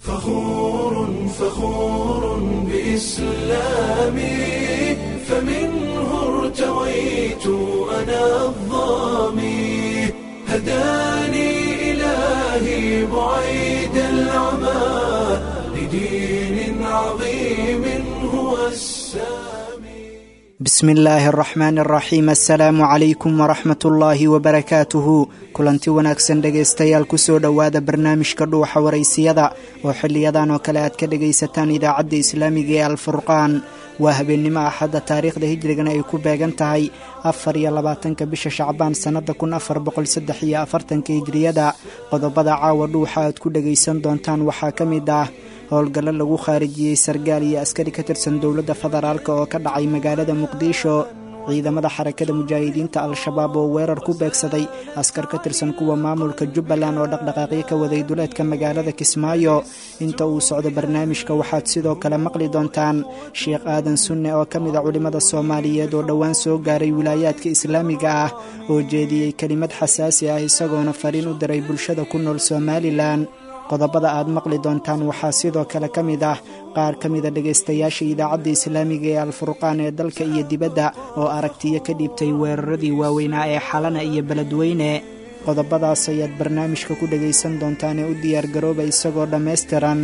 فخور فخور بإسلامي، فمنه ارتويت أنا الظامي، هداني إلهي بعيد العمى لدين عظيم هو السامي. Bismi illaahi araxmaani araxiim. Assalaamu calaykum waraxmatullaahi wabarakaatuhu. Kulanti wanaagsan dhegaystayaal, kusoo dhowaada barnaamijka Dhuuxa Waraysiyada oo xiliyadan oo kale aad ka dhegaysataan idaacadda islaamiga ee Alfurqaan. Waa habeennimo Axadda, taariikhda hijrigana ay ku beegan tahay 24-ka bisha Shacbaan sannada 1443-ka hijriyada. Qodobada caawa Dhuuxa aad ku dhegaysan doontaan waxaa ka mid ah howlgallo lagu khaarijiyey sargaal iyo askari ka tirsan dowladda federaalk oo ka dhacay magaalada Muqdisho, ciidamada Xarakada Mujaahidiinta Al-Shabaab oo weerar ku beegsaday askar ka tirsan kuwa maamulka Jubbaland oo dhaqdhaqaaqyo ka waday duleedka magaalada Kismaayo. Inta uu socdo barnaamijka waxaad sidoo kale maqli doontaan Sheekh Aadan Sunne oo ka mid a culimmada Soomaaliyeed oo dhowaan soo gaaray wilaayaadka islaamiga ah oo jeediyey kelimad xasaasi ah, isagoona fariin u diray bulshada ku nool Somalilan. Qodobada aad maqli doontaan waxaa sidoo kale ka mid ah qaar ka mida dhegaystayaasha idaacadda islaamiga ee Alfurqaan ee dalka iyo dibadda oo aragtiyo ka dhiibtay weeraradii waaweynaa ee Xalana iyo Beledweyne. Qodobadaas ayaad barnaamijka ku dhegaysan doontaan ee u diyaargarooba isagoo dhammaystiran.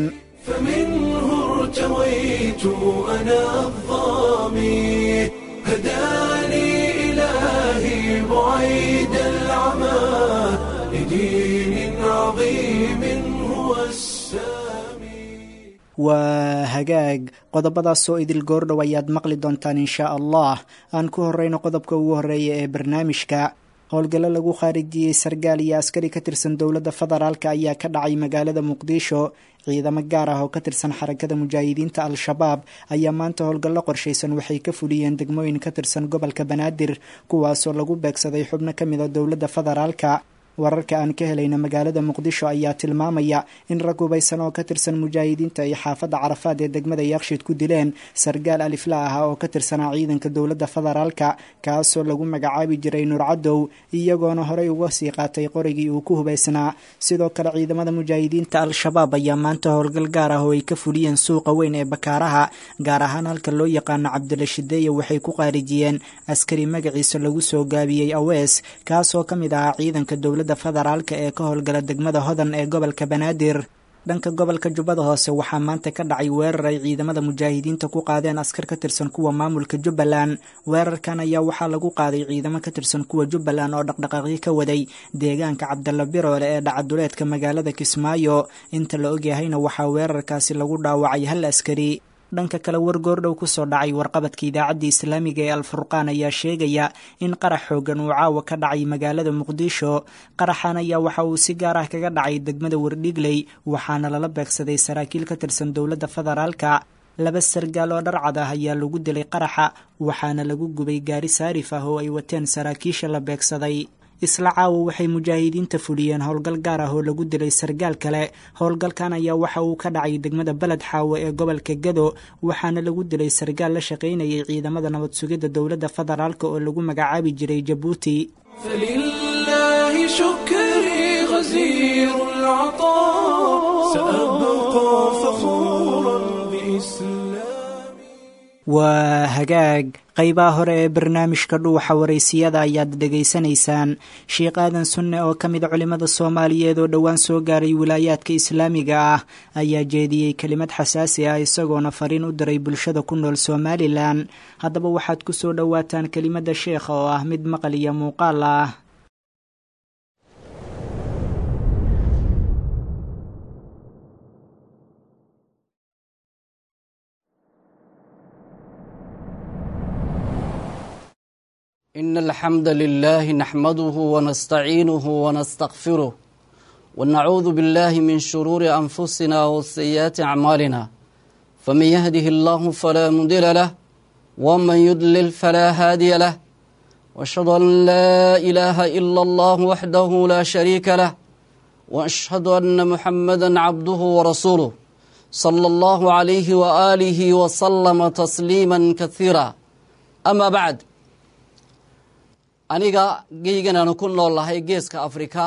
فمنه ارتويت أنا الظامي، هداني إلهي بعيد العمى لدين عظيم هو السامي. Waa hagaag, qodobadaas oo idil goordhow ayaad maqli doontaan inshaa Allah. Aan ku horreyno qodobka ugu horreeya ee barnaamijka. Howlgallo lagu khaarijiyey sargaal iyo askari ka tirsan dowladda federaalk ayaa ka dhacay magaalada Muqdisho. Ciidamo gaar ah oo ka tirsan Xarakada Mujaahidiinta Al-Shabaab ayaa maanta howlgallo qorshaysan waxay ka fuliyeen degmooyin ka tirsan gobolka Banaadir, kuwaasoo lagu beegsaday xubno ka mid a dowladda federaalka. Wararka aan ka helayna magaalada Muqdisho ayaa tilmaamaya in rag hubaysan oo ka tirsan mujaahidiinta ay xaafadda Carafaad ee degmada Yaaqshiid ku dileen sargaal alifla ah oo ka tirsanaa ciidanka dowladda federaalka, kaasoo lagu magacaabi jiray Nuur Cadow, iyagoona horey uga sii qaatay qorigii uu ku hubaysnaa. Sidoo kale ciidamada mujaahidiinta Al-Shabaab ayaa maanta howlgal gaar ah oo ay ka fuliyeen suuqa weyn ee Bakaaraha, gaar ahaan halka loo yaqaano Cabdila Shideeye, waxay ku qaarijiyeen askari magaciisa lagu soo gaabiyey Awees, kaasoo ka mid ahaa ciidanka dowladda federaalka ee ka howlgala degmada Hodan ee gobolka Banaadir. Dhanka gobolka Jubbada Hoose waxaa maanta ka dhacay weerar ay ciidamada mujaahidiinta ku qaadeen askar ka tirsan kuwa maamulka Jubbaland. Weerarkan ayaa waxaa lagu qaaday ciidamo ka tirsan kuwa Jubbaland oo dhaqdhaqaaqyo ka waday deegaanka Cabdalla Biroole ee dhacaduleedka magaalada Kismaayo. Inta la ogyahayna waxaa weerarkaasi lagu dhaawacay hal askari. Dhanka kale, war goordhow kusoo dhacay warqabadka idaacadda islaamiga ee Alfurqaan ayaa sheegaya in qarax xoogan uu caawa ka dhacay magaalada Muqdisho. Qaraxan ayaa waxa uu si gaar ah kaga dhacay degmada Wardhigley, waxaana lala beegsaday saraakiil ka tirsan dowladda federaalka. Laba sargaal oo dharcad ah ayaa lagu dilay qaraxa, waxaana lagu gubay gaari saarif ah oo ay wateen saraakiisha la beegsaday. Isla caawa waxay mujaahidiinta fuliyeen howlgal gaar ah oo lagu dilay sargaal kale. Howlgalkan ayaa waxa uu ka dhacay degmada Baled Xaawe ee gobolka Gado, waxaana lagu dilay sargaal la shaqaynayay ciidamada nabad sugidda dowladda federaalk oo lagu magacaabi jiray Jabuuti. فلله شكري غزير العطاء، سأبقى فخورا بإسلامي. Waa hagaag, qaybaha hore ee barnaamijka Dhuuxa Waraysiyada ayaad dhegaysanaysaan. Sheekh Aadan Sunne oo ka mid a culimmada Soomaaliyeed oo dhowaan soo gaaray wilaayaadka islaamiga ah ayaa jeediyey kelimad xasaasi ah, isagoona fariin u diray bulshada ku nool Somalilan. Haddaba waxaad ku soo dhowaataan kelimadda sheekha oo ah mid maqal iyo muuqaal ah. إن الحمد لله نحمده ونستعينه ونستغفره، ونعوذ بالله من شرور أنفسنا وسيئات أعمالنا، فمن يهده الله فلا مضل له ومن يضلل فلا هادي له، وأشهد أن لا إله إلا الله وحده لا شريك له، وأشهد أن محمدا عبده ورسوله صلى الله عليه وآله وسلم تسليما كثيرا. أما بعد، aniga geygan aanu ku nool lahay, geeska Afrika,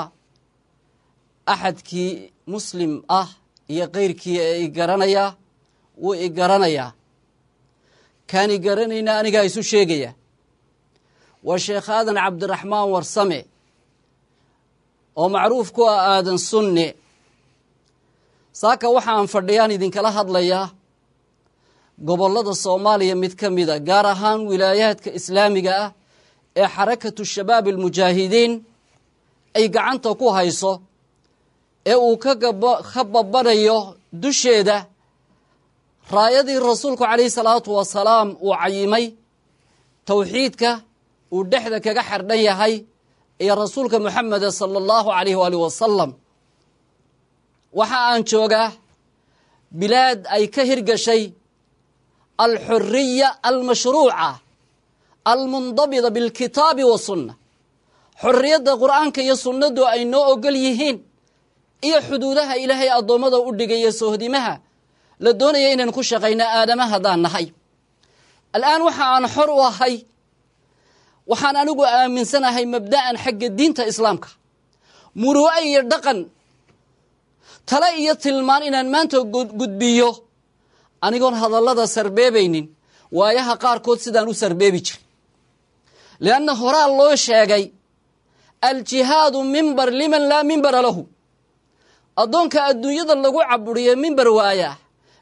axadkii muslim ah Iyo keyrkii ee i garanayaa wuu i garanayaa, kaan i garanayna anigaa isu sheegaya. Waa Sheekh Aadan Cabdiraxmaan Warsame oo macruuf ku ah Aadan Sunne. Saaka waxaan fadhiyaan idinkala hadlayaa gobollada Soomaaliya mid ka mida, gaar ahaan wilaayaadka islaamiga ah ee Xarakatu Shabaab Almujaahidiin ay gacanta ku hayso ee uu ka babanayo dusheeda raayadii Rasuulku calayhi salaatu wasalaam uu cayimay, towxiidka uu dhexda kaga xardhan yahay iyo Rasuulka Moxameda sala Allahu calayh waaalih wasalam. Waxa aan joogaa bilaad ay ka hirgashay alxuriya almashruuca almundabida bilkitaabi wasunna, xorriyadda Qur'aanka iyo sunnadu ay noo ogol yihiin iyo xuduudaha Ilaahay addoommada u dhigaya, sohdimaha la doonaya inaynu ku shaqayno aadama haddaan nahay. Al'aan waxa aan xor u ahay, waxaan anigu aaminsanahay mabda'an xagga diinta islaamka, muru'o iyo dhaqan, tale iyo tilmaan inaan maanta gudbiyo, anigoon hadallada sarbeebaynin waayaha qaarkood sidaan u sarbeebi jiray, lianna horaa loo sheegay: aljihaadu mimbar liman laa mimbara lahu. Addoonka adduunyada lagu caburiye mimbar waaya,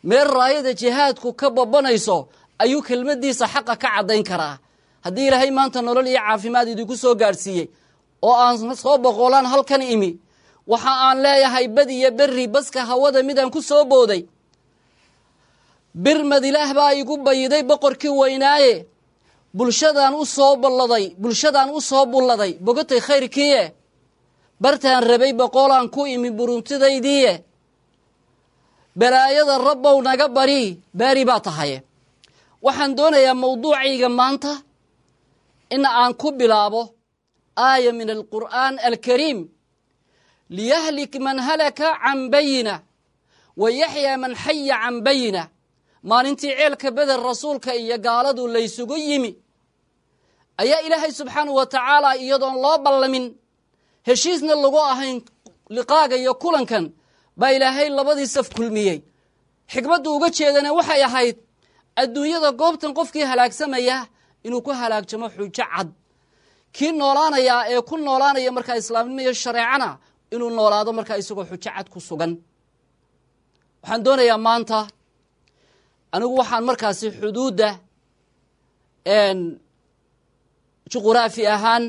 meel raayada jihaadku ka babanayso ayuu kelmaddiisa xaqa ka caddayn karaa. Haddii Ilaahay maanta nolol iyo caafimaad idinku soo gaadhsiiyey oo aan soo boqolaan halkan imi, waxa aan leeyahay bad iyo berri baska hawada midaan ku soo booday, birmad Ilaah baa igu bayiday boqorkii weynaaye. Bulshadaan u soo balladay, bulshadaan u soo bulladay, bogatay khayrkiiye, bartaan rabay boqolaan ku imi buruntidaydiiye. Balaayada Rabbow naga bari, baari baa tahaye. Waxaan doonayaa mawduucayga maanta in aan ku bilaabo aaya min alqur'aan alkariim: liyahlik man halaka can bayina wa yaxyaa man xaya can bayina. Maalintii ceelka Beder Rasuulka iyo gaaladu laysugu yimi ayaa Ilaahay subxaanahu wa tacaala, iyadoon loo ballamin, heshiisna lagu ahayn liqaaga iyo kulankan, baa Ilaahay labadii saf kulmiyey. Xikmaddu uga jeedana waxay ahayd adduunyada goobtan qofkii halaagsamaya inuu ku halaagjamo xujo cad, kii noolaanayaa ee ku noolaanaya markaa islaamnimo iyo shareecana inuu noolaado markaa isagoo xujo cad ku sugan. Waxaan doonayaa maanta anigu waxaan markaasi xuduudda juquraafi ahaan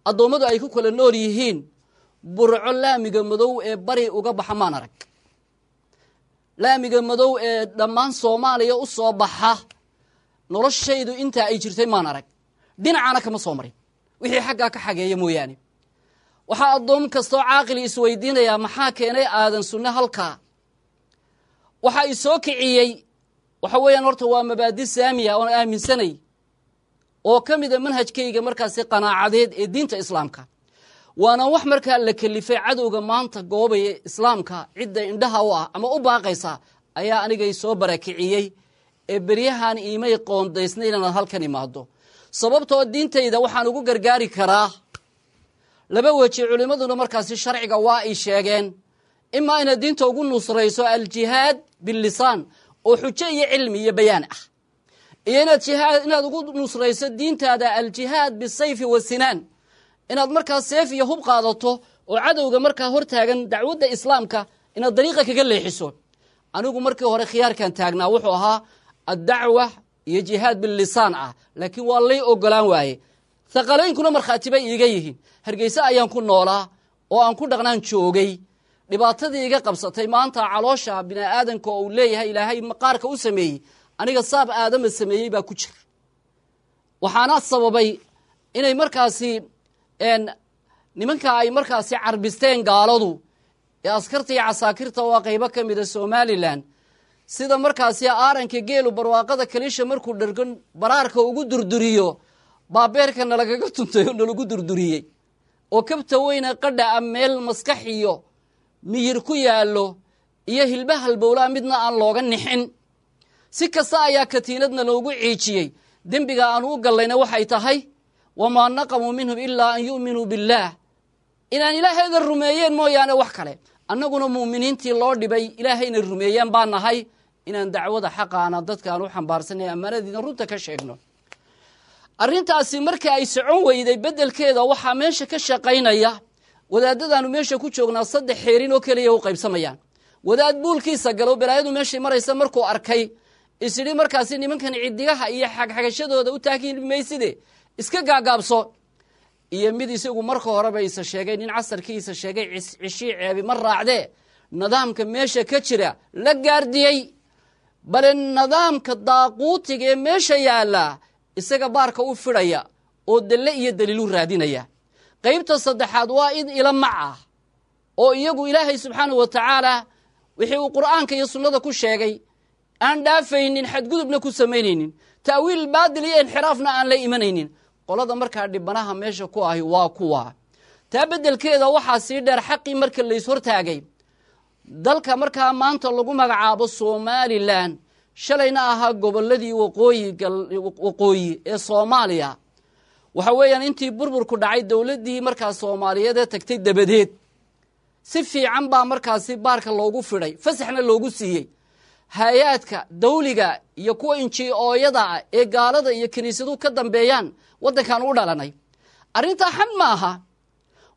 addoommadu ay ku kala nool yihiin, Burco laamiga madow ee bari uga baxa maan arag, laamiga madow ee dhammaan Soomaaliya u soo baxa noloshaydu intaa ay jirtay maan arag, dhinacana kama soo marin wixii xaggaa ka xageeya mooyaane. Waxaa addoom kastoo caaqili isweydiinayaa: maxaa keenay Aadan Sunne halkaa? Waxaa i soo kiciyey waxa weeyaan, horta waa mabaadi saamiya oon aaminsanay oo ka mida manhajkayga markaasi qanaacadeed ee diinta islaamka, waana wax markaa la kelifay cadowga maanta goobaya islaamka cidda indhaha u ah ama u baaqaysa ayaa anigay soo barakiciyey ee beryahan iimay qoondaysnay inaad halkan imaado, sababtoo diintayda waxaan ugu gargaari karaa laba weji. Culimmaduna markaasi sharciga waa ay sheegeen: imaa inaad diinta ugu nusrayso aljihaad billisaan oo xujo iyo cilmi iyo bayaan ah, iyo inaad jihaad inaad ugu nusrayso diintaada aljihaad bisayfi wasinaan, inaad markaa seef iyo hub qaadato oo cadowga markaa hortaagan dacwadda islaamka inaad dariiqa kaga leexiso. Anigu markii hore khiyaarkan taagnaa wuxuu ahaa addacwa iyo jihaad billisaan ah, laakiin waa lay ogolaan waaye. Thaqalaynkuna markhaati bay iiga yihiin. Hargeyse ayaan ku noolaa oo aan ku dhaqnaan joogay. Dhibaatadii iga qabsatay maanta, caloosha bini aadanka oo uu leeyahay Ilaahay maqaarka u sameeyey, aniga saab aadama sameeyey baa ku jira. Waxaana sababay inay markaasi nimanka ay markaasi carbisteen gaaladu ee askarta iyo casaakirta waa qaybo ka mida Somalilan, sida markaasi aaranka geelu barwaaqada kaliisha markuu dhergan baraarka ugu durduriyo, baabeerka nalagaga tuntay oo nalagu durduriyey oo kabta weyne qadha a meel maskax iyo miyir ku yaallo iyo hilba halbowlaa midna aan looga nixin. Si kasta ayaa katiinadna loogu ciijiyey. Dembiga aan u gallayna waxay tahay wamaa naqamuu minhum ilaa an yu'minuu billaah, inaan Ilaahayda rumeeyeen mooyaane wax kale. Annaguna mu'miniintii loo dhibay Ilaahayna rumeeyaan baan nahay, inaan dacwada xaqaana dadkaan u xambaarsanay ammaanadiina runta ka sheegno. Arrintaasi marka ay socon weyday, beddelkeeda waxaa meesha ka shaqaynaya wadaadadaanu meesha ku joognaa 3 xeerin oo keliya u qaybsamayaan. Wadaad buulkiisa galo, balaayadu meeshay maraysa markuu arkay isidhi markaasi nimankan cidigaha iyo xagxagashadooda u taagin mayside iska gaagaabso, iyo mid isagu marka horeba isa sheegay nin casarkiisa sheegay cishii ceebi ma raacdee nidaamka meesha ka jira la gaardiyey, bale nidaamka daaquutiga ee meesha yaalla isaga baarka u fidhaya oo dalle iyo daliilu raadinaya. Qaybta saddexaad waa id ila mac ah oo iyagu Ilaahay subxaanahu wa tacaala wixii uu Qur'aanka iyo sunnada ku sheegay aan dhaafaynin, xadgudubna ku samaynaynin, ta'wiil baadil iyo inxiraafna aan la imanaynin. Qolada markaa dhibanaha meesha ku ahi waa kuwa. Taa beddelkeeda waxaa sii dheer xaqii marka lays hortaagay dalka markaa maanta lagu magacaabo Somalilan, shalayna ahaa gobolladii waqooyi ee Soomaaliya. Waxa weeyaan intii burburku dhacay dowladdii markaa Soomaaliyeed ee tagtay dabadeed si fiican baa markaasi baarka loogu fidhay, fasaxna loogu siiyey hay-aadka dawliga iyo kuwa inji-ooyada ah ee gaalada iyo kiniisaduhu ka dambeeyaan waddankan u dhalanay. Arrintaa xan ma aha,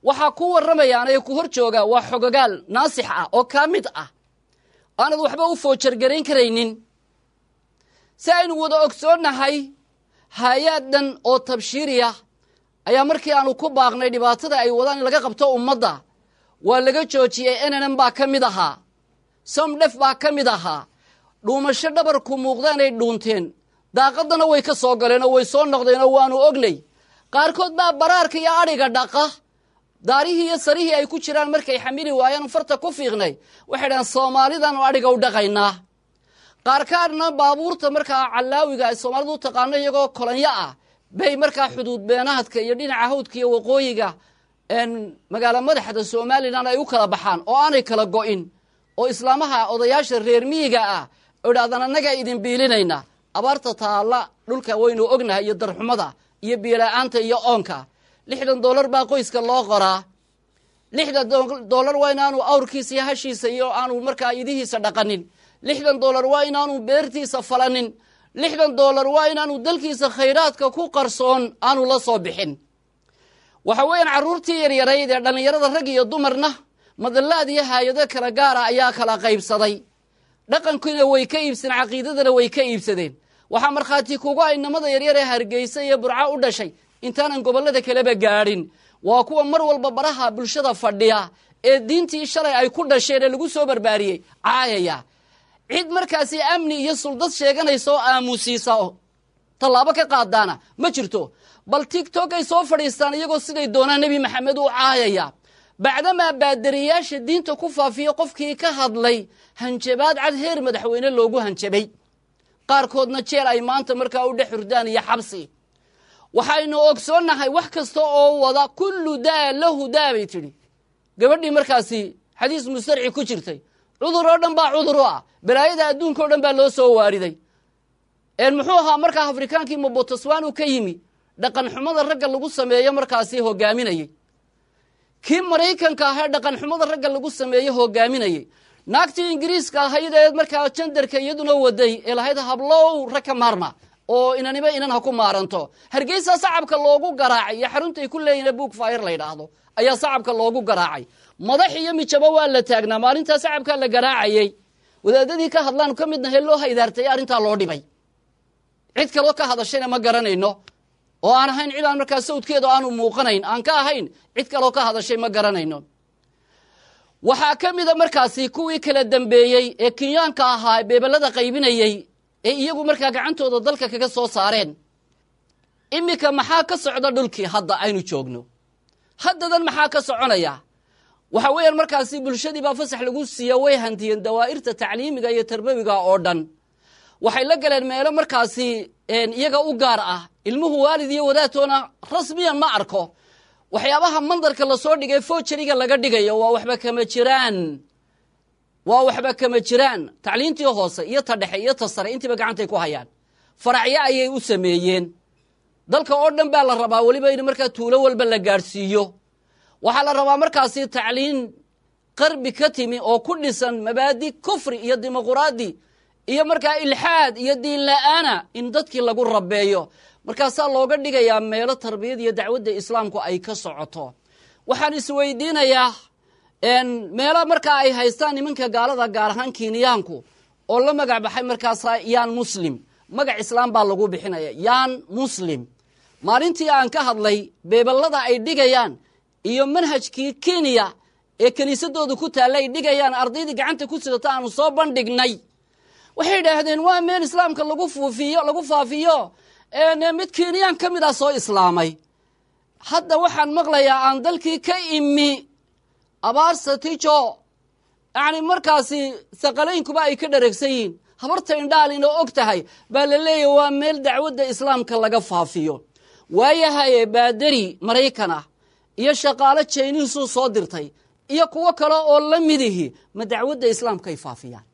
waxaa ku warramayaan ee ku hor jooga waa xogagaal naasix ah oo kaa mid ah aanad waxba u foojargarayn karaynin. Si aynu wada ogsoonnahay, hay-aad dhan oo tabshiiriya ayaa markii aanu ku baaqnay dhibaatada ay wadaan in laga qabto ummadda waa laga joojiyey. NNM baa ka mid ahaa, Somdhef baa ka mid ahaa. Dhuumasho dhabarku muuqdaanay dhuunteen, daaqadana way ka soo galeen oo way soo noqdeen oo waanu ognay. Qaarkood baa baraarka iyo adhiga dhaqa, daarihii iyo sarihii ay ku jiraan markay xamili waayaan farta ku fiiqnay waxay dhahaan Soomaalidaanu adhiga u dhaqaynaa. Qaarkaadna baabuurta markaa callaawiga ay Soomaalidu u taqaano iyagoo kolonyo ah bay markaa xuduud beenaadka iyo dhinaca hawdka iyo waqooyiga magaalo madaxda Somalilan ay u kala baxaan oo aanay kala go'in, oo islaamaha odayaasha reer miyiga ah idhaahdaan annagaa idin biilinayna. Abaarta taalla dhulka waynu ognahay iyo darxumada iyo biyo-la'aanta iyo oonka. $60 baa qoyska loo qoraa. $60 waa inaanu awrkiisa iyo hashiisa iyo aanu markaa idihiisa dhaqanin. $60 waa inaanu beertiisa falanin. $60 waa inaanu dalkiisa khayraadka ku qarsoon aanu la soo bixin. Waxa weeyaan carruurtii yaryarayd ee dhallinyarada rag iyo dumarna madallaad iyo haayado kala gaara ayaa kala qaybsaday. Dhaqankiina way ka iibsadeen, caqiidadana way ka iibsadeen. Waxaa markhaati kugu ay namada yaryar ee Hargeysa iyo Burco u dhashay intaanan gobollada kaleba gaadhin waa kuwa mar walba baraha bulshada fadhiya ee diintii shalay ay ku dhasheen ee lagu soo barbaariyey caayaya. Cid markaasi amni iyo suldad sheeganaysa oo aamusiisa oo tallaabo ka qaadaana ma jirto. Bal TikTok ay soo fadhiistaan iyagoo siday doonaan Nebi Maxamed u caayaya. Bacdamaa baadariyaasha diinta ku faafiya qofkii ka hadlay hanjabaad cad heer madaxweyne loogu hanjabay, qaarkoodna jeel ay maanta markaa u dhex hurdaan iyo xabsi. Waxaynu ogsoonnahay wax kasta oo wada kullu daa lahu daa bay tidhi gabadhii markaasi xadiis mustarci ku jirtay. Cudur oo dhan baa cudur u ah, balaayada adduunka oo dhan baa loo soo waariday. Muxuu ahaa markaa Afrikaankii Mobotoswan uu ka yimi dhaqan xumada ragga lagu sameeyo markaasi hogaaminayey, kii Maraykanka ahaa dhaqan xumada ragga lagu sameeyo hogaaminayey, naagtii Ingiriiska ahayd ee markaa jandarka iyaduna waday ee lahayd hablow rag ka maarma oo inaniba inan ha ku maaranto. Hargeysa sacabka loogu garaacay iyo xaruntay ku leeyihin Book Fire la yidhaahdo ayaa sacabka loogu garaacay. Madax iyo mijabo waa la taagnaa maalintaa sacabkaa la garaacayey. Wadaadadii ka hadlaan ka midnahay loo haydaartay arrintaa loo dhibay. Cid kaloo ka hadashayna ma garanayno oo aan ahayn cid aan markaa sawdkeeda aanu muuqanayn aan ka ahayn, cid kaloo ka hadashay ma garanayno. Waxaa ka mida markaasi kuwii kala dambeeyey ee Kenyaanka ahaa beebelada qaybinayey ee iyagu markaa gacantooda dalka kaga soo saareen. Iminka maxaa ka socda dhulkii hadda aynu joogno? Haddadan maxaa ka soconaya? Waxa weeyaan markaasi bulshadii baa fasax lagu siiya, way hantiyeen dawaa'irta tacliimiga iyo tarbawiga oo dhan. Waxay la galeen meelo markaasi iyaga u gaar ah. Ilmuhu waalid iyo wadaadtoona rasmiyan ma arko. Waxyaabaha mandarka lasoo dhigay foojariga laga dhigayo waa waxba kama jiraan, waa waxba kama jiraan. Tacliintii hoose iyo ta dhexe iyo ta sare intiiba gacantay ku hayaan, faracyo ayay u sameeyeen. Dalka oo dhan baa la rabaa weliba in markaa tuulo walba la gaadhsiiyo. Waxaa la rabaa markaasi tacliin qarbi ka timi oo ku dhisan mabaadi kufri iyo dimuquraadi iyo markaa ilxaad iyo diin la'aana in dadkii lagu rabeeyo. Markaasaa looga dhigayaa meelo tarbiyad iyo dacwadda islaamku ay ka socoto. Waxaan isweydiinayaa meelo markaa ay haystaan nimanka gaalada, gaar ahaan Kiiniyaanku, oo la magac baxay markaasa Yaan Muslim, magac islaam baa lagu bixinaya, Yaan Muslim. Maalintii aan ka hadlay beebellada ay dhigayaan iyo manhajkii Kenya ee kiniisadooda ku taalla ay dhigayaan, ardaydii gacanta ku sidata aanu soo bandhignay, waxay idhaahdeen waa meel islaamka lagu fuufiyo, lagu faafiyo. Mid Kenyaan ka mid ah soo islaamay. Hadda waxaan maqlayaa aan dalkii ka imi Abaar Satijo, yacni markaasi saqalaynkuba ay ka dhareegsan yihiin, habarta indhaalin oo og tahay baa la leeyahy waa meel dacwadda islaamka laga faafiyo. Waayahaye, baadari Maraykan ah iyo shaqaalo Jayniisuu soo dirtay iyo kuwo kale oo la midihi ma dacwadda islaamkay faafiyaan?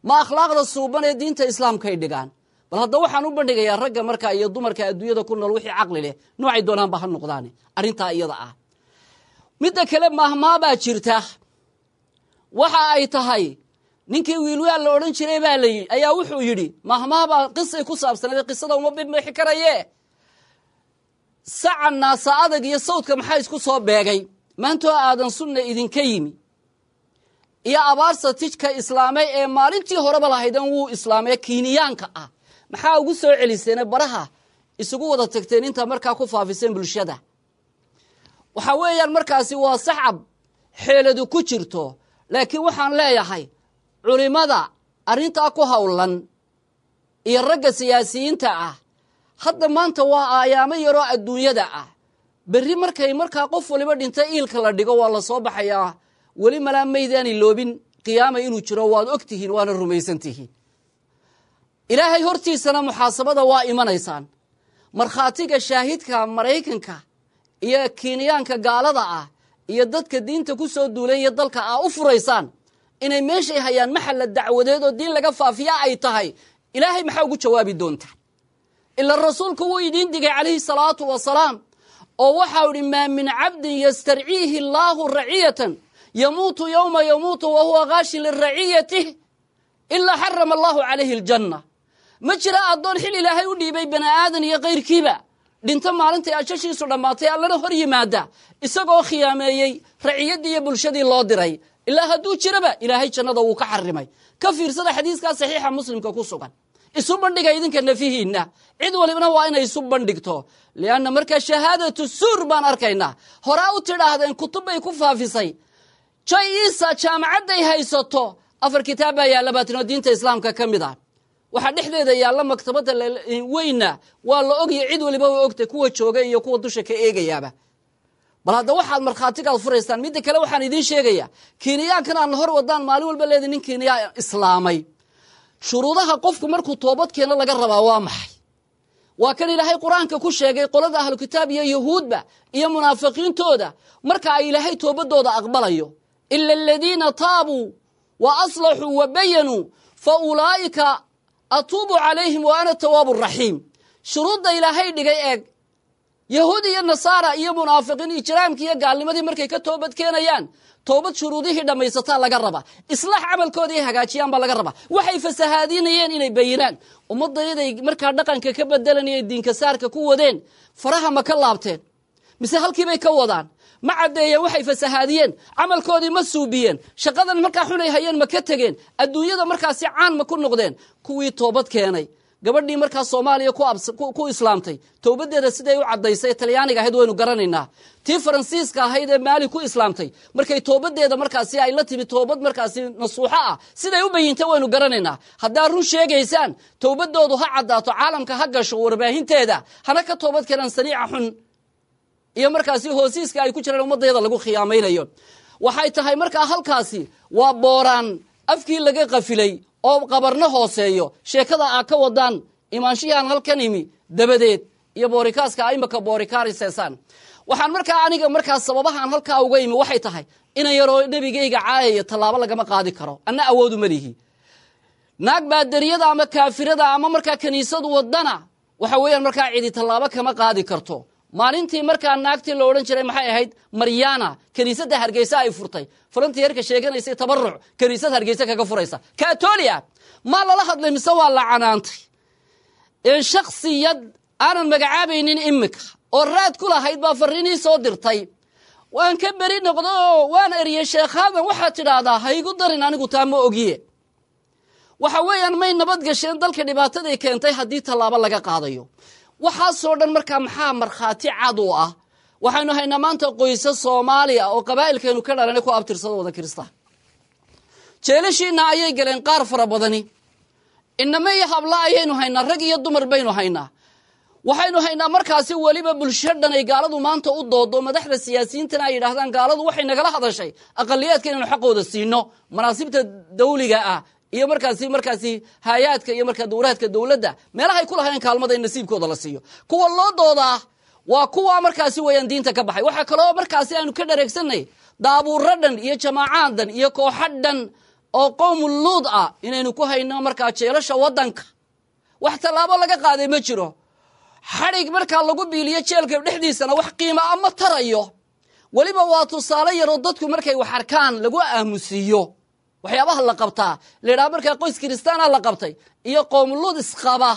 Ma akhlaaqda suuban ee diinta islaamkay dhigaan? Bal hadda waxaan u bandhigayaa ragga markaa iyo dumarka adduunyada ku nool, wixii caqli leh noocay doonaanba ha noqdaane, arrintaa iyada ah. Midda kale, mahmaabaa jirta. Waxa ay tahay, ninkii Wiilwaal la odhan jiray baa la yidhi ayaa wuxuu yidhi, mahmaabaa qisay ku saabsanayd, qisada uma bibmixi karaye, saca naasa adag iyo sawdka maxaa isku soo beegay? Maantoo Aadan Sunna idinka yimi iyo Abaarsa tijka islaamay ee maalintii horeba lahaydan wuu islaamay Kiiniyaanka ah, maxaa ugu soo celiseene baraha isugu wada tagteen intaa markaa ku faafiseen bulshada? Waxaa weeyaan markaasi waa sacab xeeladu ku jirto. Laakiin waxaan leeyahay culimada arrintaa ku howlan iyo ragga siyaasiyiinta ah, hadda maanta waa aayaamo yaroo adduunyada ah. Berri markay markaa qof waliba dhinta iilka la dhigo, waa la soo baxayaa. Weli malaa maydaani loobin qiyaama inuu jiro, waad og tihiin, waana rumaysan tihiin. Ilaahay hortiisana muxaasabada waa imanaysaan. Markhaatiga shaahidka Maraykanka iyo Kiiniyaanka gaalada ah iyo dadka diinta ku soo duulay iyo dalka aa u furaysaan inay meeshay hayaan maxalla dacwadeed oo diin laga faafiya ay tahay, Ilaahay maxaa ugu jawaabi doontaa? Ila rasuulku wuu idiin digay calayhi salaatu wasalaam, oo waxau idhi: "Maa min cabdin yastarciihi allaahu raciyatan yamuutu yowma yamuutu wa huwa ghaashin liraciyatih ilaa xarama allahu calayhi aljanna." Ma jira addoon xil Ilaahay u dhiibay, bani aadan iyo kayrkiiba, dhinto maalintay ajashiisu dhammaatay, Allana hor yimaada isagoo khiyaameeyey raciyaddii iyo bulshadii loo diray. Ilaa hadduu jiraba, Ilaahay jannada wuu ka xarimay. Ka fiirsada xadiiskaa saxiixa Muslimka ku sugan. Isu bandhiga idinka nafihiinna, cid walibna waa inay isu bandhigto, lianna markaa shahaadatu suur baan arkaynaa. Horaa u tidhaahdeen kutub bay ku faafisay Jay Isa, jaamacadday haysato afar kitaab baa yaalla baatin oo diinta islaamka ka mid ah. Waxaa dhexdeeda yaalla maktabadda weyna, waa la ogya, cid waliba way ogtay, kuwa jooga iyo kuwa dusha ka eegayaaba. Bal hadda waxaad markhaatigaad furaysaan. Midda kale, waxaan idiin sheegayaa Kiiniyaankan aan hor wadaan maalin walba leeday nin Kiiniyaa islaamay. Shuruudaha qofku markuu toobad keeno laga rabaa waa maxay? Waa kan Ilaahay Qur-aanka ku sheegay qolada ahlu kitaab iyo yahuudba iyo munaafiqiintooda marka ay Ilaahay toobadooda aqbalayo: "Ila aladiina taabuu wa aslaxuu wa bayanuu fa ulaa'ika atuubu calayhim wa ana tawaabu raxiim." Shuruudda Ilaahay dhigay eeg. Yahuud iyo nasaara iyo munaafiqiin ijraamkii iyo gaalnimadii markay ka toobad keenayaan, toobad shuruudihii dhammaysataa laga rabaa, islaax camalkooda ay hagaajiyaan baa laga rabaa, waxay fasahaadinayeen inay bayinaan. Ummaddayaday markaa dhaqanka ka bedelanayay, diinka saarka ku wadeen, faraha ma ka laabteen mise halkiibay ka wadaan? Ma caddeeyeen waxay fasahaadiyeen? Camalkoodii ma suubiyeen? Shaqadan markaa xunay hayeen ma ka tegeen? Adduunyada markaasi caan ma ku noqdeen kuwii toobad keenay? Gabadhii markaa Soomaaliya ku islaamtay, towbaddeeda siday u caddaysay, Talyaaniga ahayd, waynu garanaynaa. Tii Faransiiska ahayd ee Maali ku islaamtay, markay toobaddeeda markaasi ay la timi toobad markaasi nasuuxo ah, siday u bayintay waynu garanaynaa. Haddaa run sheegaysaan, towbaddoodu ha caddaato, caalamka ha gasho warbaahinteeda, hana ka toobad keenaan saniica xun iyo markaasi hoosiiska ay ku jiraan ummadayada lagu khiyaamaynayo. Waxay tahay markaa halkaasi waa booraan afkii laga qafilay oo qabarno hooseeyo sheekada aa ka wadaan imaanshihii aan halkan imi dabadeed iyo boorikaaska a imaka boorikaariseesaan. Waxaan markaa aniga markaa sababahaan halkaa uga imi waxay tahay, inan yaroo nebigayga caayaya tallaabo lagama qaadi karo, anna awoodu ma lihi. Naag baadariyada ama kaafirada ama markaa kiniisadu wadana, waxa weeyaan markaa cidi tallaabo kama qaadi karto. Maalintii markaa naagtii la odhan jiray maxay ahayd, Maryana, kiniisadda Hargeysa ay furtay, volunteerka sheeganaysay, tabaruc kiniisad Hargeysa kaga furaysa Katolia, maa lala hadlay mise waa la canaantay? Shaksiyad aanan magacaabaynin imika oo raad ku lahayd baa fariinii soo dirtay. Waan ka beri noqdo oo waan eriyey. Sheekhaadan waxaad tidhaahdaa ha igu darin, anigu taa ma ogiye. Waxa weeyaan may nabad gasheen dalka dhibaataday keentay haddii tallaabo laga qaadayo. Waxaasoo dhan markaa maxaa markhaati cad u ah? Waxaynu haynaa maanta qoysa Soomaaliya oo qabaa'ilkeenu ka dhalanay ku abtirsada wada Kirista. Jeelashiina ayay galeen qaar fara badani. Inama iyo habla ayaynu haynaa, rag iyo dumar baynu haynaa. Waxaynu haynaa markaasi weliba bulsho dhan ay gaaladu maanta u doodo, madaxda siyaasiyiintana ay yidhaahdaan gaaladu waxay nagala hadashay aqaliyaadka inaynu xaqooda siino, manaasibta dawliga ah iyo markaasi haayaadka iyo markaa dowlaadka dowladda meelahay ku lahayn kaalmada in nasiibkooda la siiyo. Kuwa loo doodaa waa kuwa markaasi weeyaan diinta ka baxay. Waxaa kaloo markaasi aanu ka dhareegsanay daabuuro dhan iyo jamaacaad dhan iyo kooxo dhan oo qowmu Luud ah inaynu ku hayno markaa jeelasha waddanka. Wax tallaabo laga qaaday ma jiro. Xadhig markaa lagu biiliyo jeelka dhexdiisana wax qiima ama tarayo. Weliba waa tusaale yaroo dadku markay wax arkaan lagu aamusiiyo waxyaabaha la qabtaa la yidhaha markaa qoys kiristaana la qabtay iyo qowmuluud isqaba.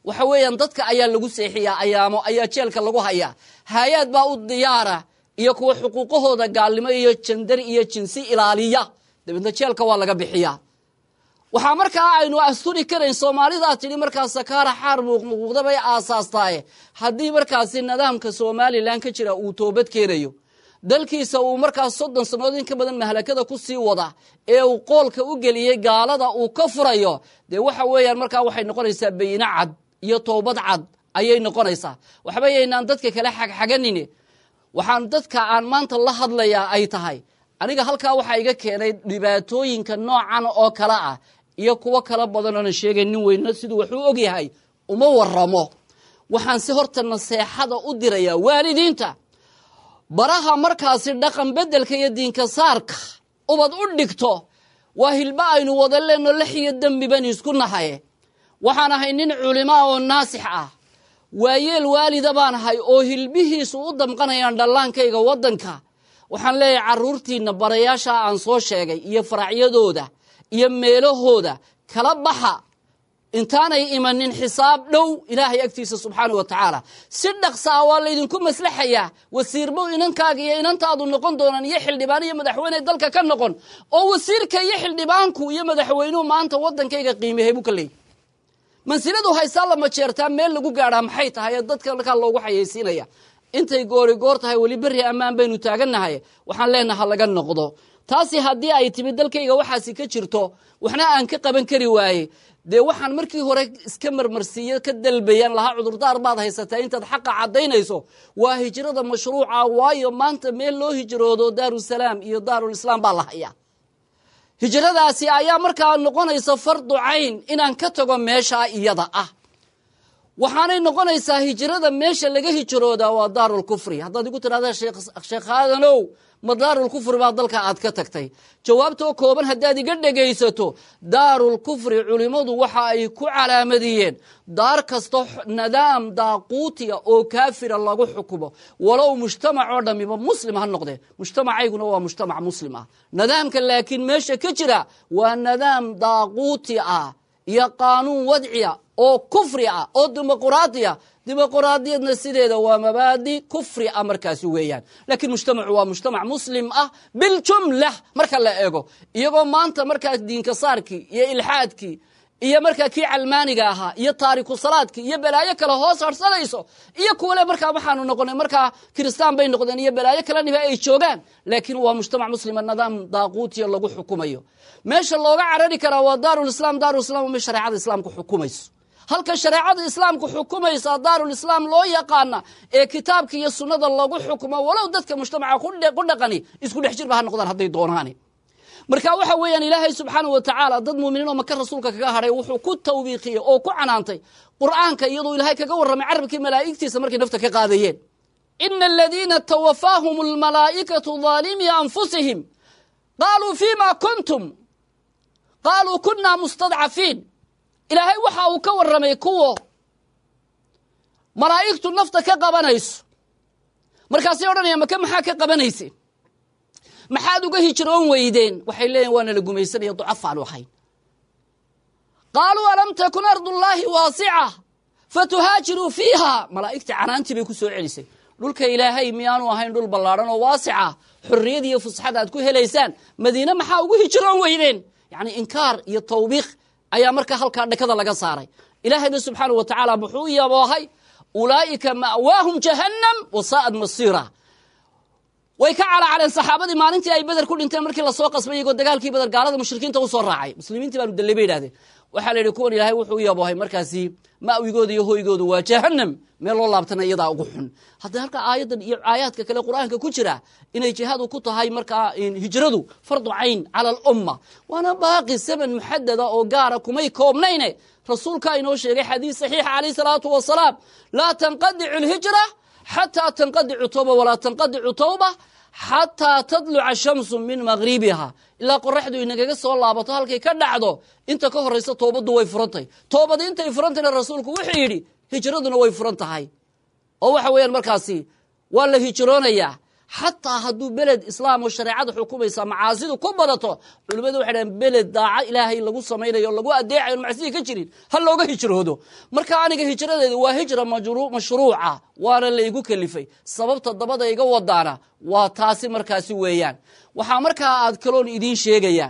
Waxa weeyaan dadka ayaa lagu seexiyaa, ayaamo ayaa jeelka lagu hayaa. Haayaad baa u diyaara iyo kuwa xuquuqahooda gaalnimo iyo jandar iyo jinsi ilaaliya, dabeedna jeelka waa laga bixiyaa. Waxaa markaa aynu asturi karayn Soomaalidaa tidhi markaa sakaara xaar muuqmuuqda bay aasaastaaye. Haddii markaasi nidaamka Somalilan ka jira uu toobad keenayo, dalkiisa uu markaas 30 sannadood in ka badan mahlakada ku sii wada ee uu qoolka u geliyey gaalada uu ka furayo, dee waxa weeyaan markaa waxay noqonaysaa bayino cad iyo toobad cad ayay noqonaysaa. Waxba yaynaan dadka kale xagxaganin. Waxaan dadka aan maanta la hadlayaa ay tahay, aniga halkaa waxaa iga keenay dhibaatooyinka noocan oo kale ah iyo kuwo kala badan oonan sheegay. Nin weyno siduu waxuu og yahay uma waramo. Waxaan si horta naseexada u dirayaa waalidiinta baraha markaasi dhaqan beddelka iyo diinka saarka ubad u dhigto. Waa hilba aynu wada leenno, lex iyo dembi baynu isku nahay. Waxaan ahay nin culimaa oo naasix ah, waayeel waalida baan ahay oo hilbihiisu u damqanayaan dhallaankayga waddanka. Waxaan leeyahay carruurtiinna barayaasha aan soo sheegay iyo faracyadooda iyo meelahooda kala baxa intaanay imanin xisaab dhow Ilaahay agtiisa subxaana wa tacaala. Si dhaqsa ah waa laydinku maslaxayaa. Wasiirbo inankaaga iyo inantaadu noqon doonaan, iyo xildhibaan iyo madaxweyne dalka ka noqon, oo wasiirka iyo xildhibaanku iyo madaxweynuhu maanta waddankayga qiimehay buu ka leeyay. Mansiladu haysaa lama jeertaa meel lagu gaadhaa maxay tahay ee dadka markaa loogu xayeysiinaya? Intay goori goor tahay, weli berri ammaan baynu taagannahay. Waxaan leenaha laga noqdo taasi. Haddii ay timi dalkayga waxaasi ka jirto, waxna aan ka qaban kari waaye, dee waxaan markii hore iska marmarsiiyo ka dalbayaan lahaa cudurdaar baad haysataa intaad xaqa caddaynayso, waa hijrada mashruuca. Waayo maanta meel loo hijroodo Daarusalaam iyo Daarulislaam baa la hayaa. Hijradaasi ayaa markaa noqonaysa fardu cayn inaan ka tago meeshaa iyada ah. Waxaanay noqonaysaa hijrada meesha laga hijroodaa waa Daarulkufri. Haddaad igu tidhahda Sheekh Aadanow, ma Daarulkufri baa dalka aad ka tagtay? Jawaabtoo kooban haddaad iga dhegaysato, Daarulkufri culimmadu waxa ay ku calaamadiyeen daar kasto nidaam daaquutiya oo kaafira lagu xukumo, walow mujtamac oo dhammiba muslim ha noqdee. Mujtamacayguna waa mujtamac muslim ah. Nidaamka laakiin meesha ka jira waa nidaam daaquuti ah iyo qaanuun wadciya oo kufri ah oo dimuquraadiya. Dimuquraadiyadna sideeda waa mabaadi kufri ah markaasi weeyaan. Laakiin mujtamacu waa mujtamac muslim ah biljumla marka la eego, iyagoo maanta markaas diinka saarkii iyo ilxaadkii iyo markaa kii calmaaniga ahaa iyo taariku salaadkii iyo balaayo kale hoos harsanayso, iyo kuwale markaa waxaanu noqonay markaa kiristaan bay noqdeen iyo balaayo kale niba ay joogaan. Laakiin waa mujtamac muslima nidaam daaquutiya lagu xukumayo. Meesha looga carari karaa waa Daarulislaam. Daarulislam waa meel shareecada Islaamku xukumayso. Halka shareecada Islaamku xukumaysa Daarulislaam loo yaqaana ee kitaabka iyo sunnada lagu xukumo, walow dadka mujtamaca ku dhaqani isku dhex jirba ha noqdaan hadday doonaani. Marka waxa weeyaan Ilaahay subxaanahu wa tacaala dad muuminiin oo Maka rasuulka kaga hadhay wuxuu ku tawbiiqiyey oo ku canaantay Qur'aanka, iyadoo Ilaahay kaga warramay carabkii malaa'igtiisa markay nafta ka qaadayeen: ina aladiina tawafaahum almalaa'ikatu daalimii anfusihim qaaluu fima kuntum qaaluu kunna mustadcafiin. Ilaahay waxa uu ka warramay kuwo malaa'igtu nafta ka qabanayso. Markaasay odhanayaan, Maka maxaa ka qabanayseen? Maxaad uga hijroon weydeen? Waxay leeyihin, waana la gumaysanaya, ducafaanu ahayn. Qaaluu alam takun ardullaahi waasica fatuhaajiruu fiiha. Malaa'igtii canaantii bay ku soo celisay. Dhulka Ilaahay miyaanu ahayn dhul ballaadhan oo waasica, xorriyad iyo fusxad aad ku helaysaan? Madiine maxaa ugu hijroon weydeen? Yacni inkaar iyo tawbiikh ayaa markaa halkaa dhakada laga saaray. Ilaahayna subxaanahu wa tacaala muxuu yaboohay? Ulaa'ika ma'waahum jahannam wasaa'ad masiira. Way ka calaacaleen saxaabadii maalintii ay Beder ku dhinteen, markii lasoo qasbay iyagoo dagaalkii Beder gaalada mushrikiinta usoo raacay. Muslimiintii baanu dallay, bay yidhahdeen. Waxaa la yidhi, kuwan Ilaahay wuxuu u yaboohay markaasi ma'wigooda iyo hoygoodu waa jahannam, meel loo laabtana iyadaa ugu xun. Hadda halka aayaddan iyo aayaadka kale Qur-aanka ku jira inay jihaadu ku tahay markaa hijradu fardu cayn cala alumma, waana baaqi zaman muxadada oo gaara kumay koobnayne. Rasuulkaa inoo sheegay xadiis saxiixa calayh salaatu wasalaam: laa tanqadicu alhijra xataa tanqadicu tawba, walaa tanqadicu tawba xataa tadluca shamsu min maqribiha. Ilaa qoraxdu inagaga soo laabato halkay ka dhacdo, inta ka horaysa toobaddu way furantahay. Toobadi intay furantayna, rasuulku wuxuu yidhi, hijraduna way furan tahay, oo waxa weeyaan markaasi waa la hijroonayaa, xataa hadduu beled islaam oo shareecada xukumaysa macaasidu ku badato. Culimmadu waxay dhahen, beled daaco Ilaahay lagu samaynayo, lagu adeecayo, macsidii ka jirin, ha looga hijroodo. Marka aniga hijradeeda waa hijra mashruuca, waana laygu kalifay. Sababta dabada iga wadaana waa taasi markaasi weeyaan. Waxaa markaa aad kaloon idiin sheegaya,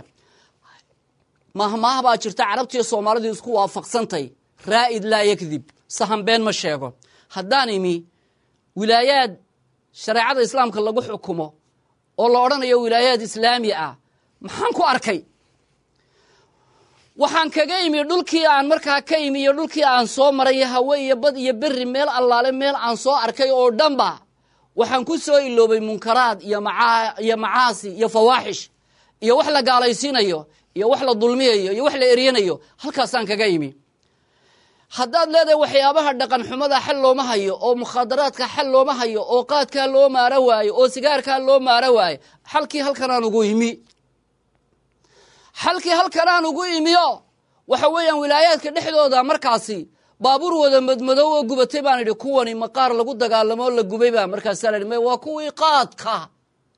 mahmaah baa jirta Carabtiiyo Soomaalidu isku waafaqsantay: raa'id laa yakdib, sahan been ma sheego. Haddaan imi wilaayaad shareecada islaamka lagu xukumo oo la odhanayo wilaayaad islaami ah, maxaan ku arkay? Waxaan kaga imi dhulkii aan markaa ka imi iyo dhulkii aan soo maray, hawe iyo bad iyo beri, meel allaale meel aan soo arkay oo dhanba waxaan ku soo iloobay munkaraad iyo macaasi iyo fawaaxish iyo wax la gaalaysiinayo iyo wax la dulmiyayo iyo wax la eryanayo. Halkaasaan kaga imi. Haddaad leedahay waxyaabaha dhaqan xumada xal looma hayo, oo mukhaadaraadka xal looma hayo, oo qaadkaa loo maaro waayo, oo sigaarkaa loo maaro waayo, xalkii halkanaan ugu imi. Xalkii halkanaan ugu imiyo waxa weeyaan wilaayaadka dhexdooda markaasi baabuur wada madmadow oo gubatay baan idhi, kuwani maqaar lagu dagaalamo la gubay baa? Markaasaa la idhi, may, waa kuwii qaadka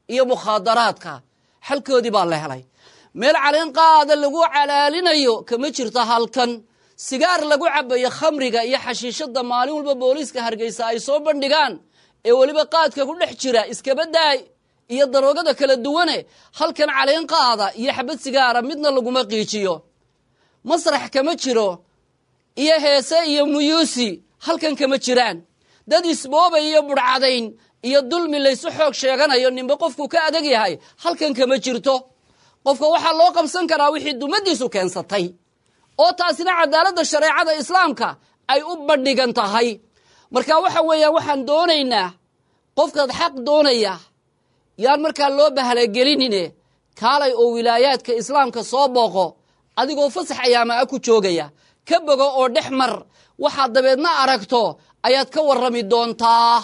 iyo mukhaadaraadka, xalkoodii baa la helay. Meel caleen qaada lagu calaalinayo kama jirto halkan. Sigaar lagu cabayo, khamriga iyo xashiishada maalin walba booliiska Hargeysa ay soo bandhigaan ee weliba qaadka ku dhex jira iskaba daay, iyo daroogada kala duwane, halkan caleen qaada iyo xabad sigaara midna laguma qiijiyo. Masrax kama jiro iyo heese iyo muyuusi, halkan kama jiraan. Dad isboobay iyo budhcadayn iyo dulmi laysu xoog sheeganayo, ninba qofku ka adag yahay, halkan kama jirto. Qofka waxaa loo qabsan karaa wixii dumadiisu keensatay, oo taasina cadaaladda shareecada islaamka ay u bandhigan tahay. Marka waxa weeyaan, waxaan doonaynaa qofkaad xaq doonaya yaan markaa loo bahalagelinine, kaalay oo wilaayaadka islaamka soo booqo adigoo fasax ayaama a ku joogaya, ka bogo oo dhex mar. Waxaad dabeedna aragto ayaad ka warrami doontaa.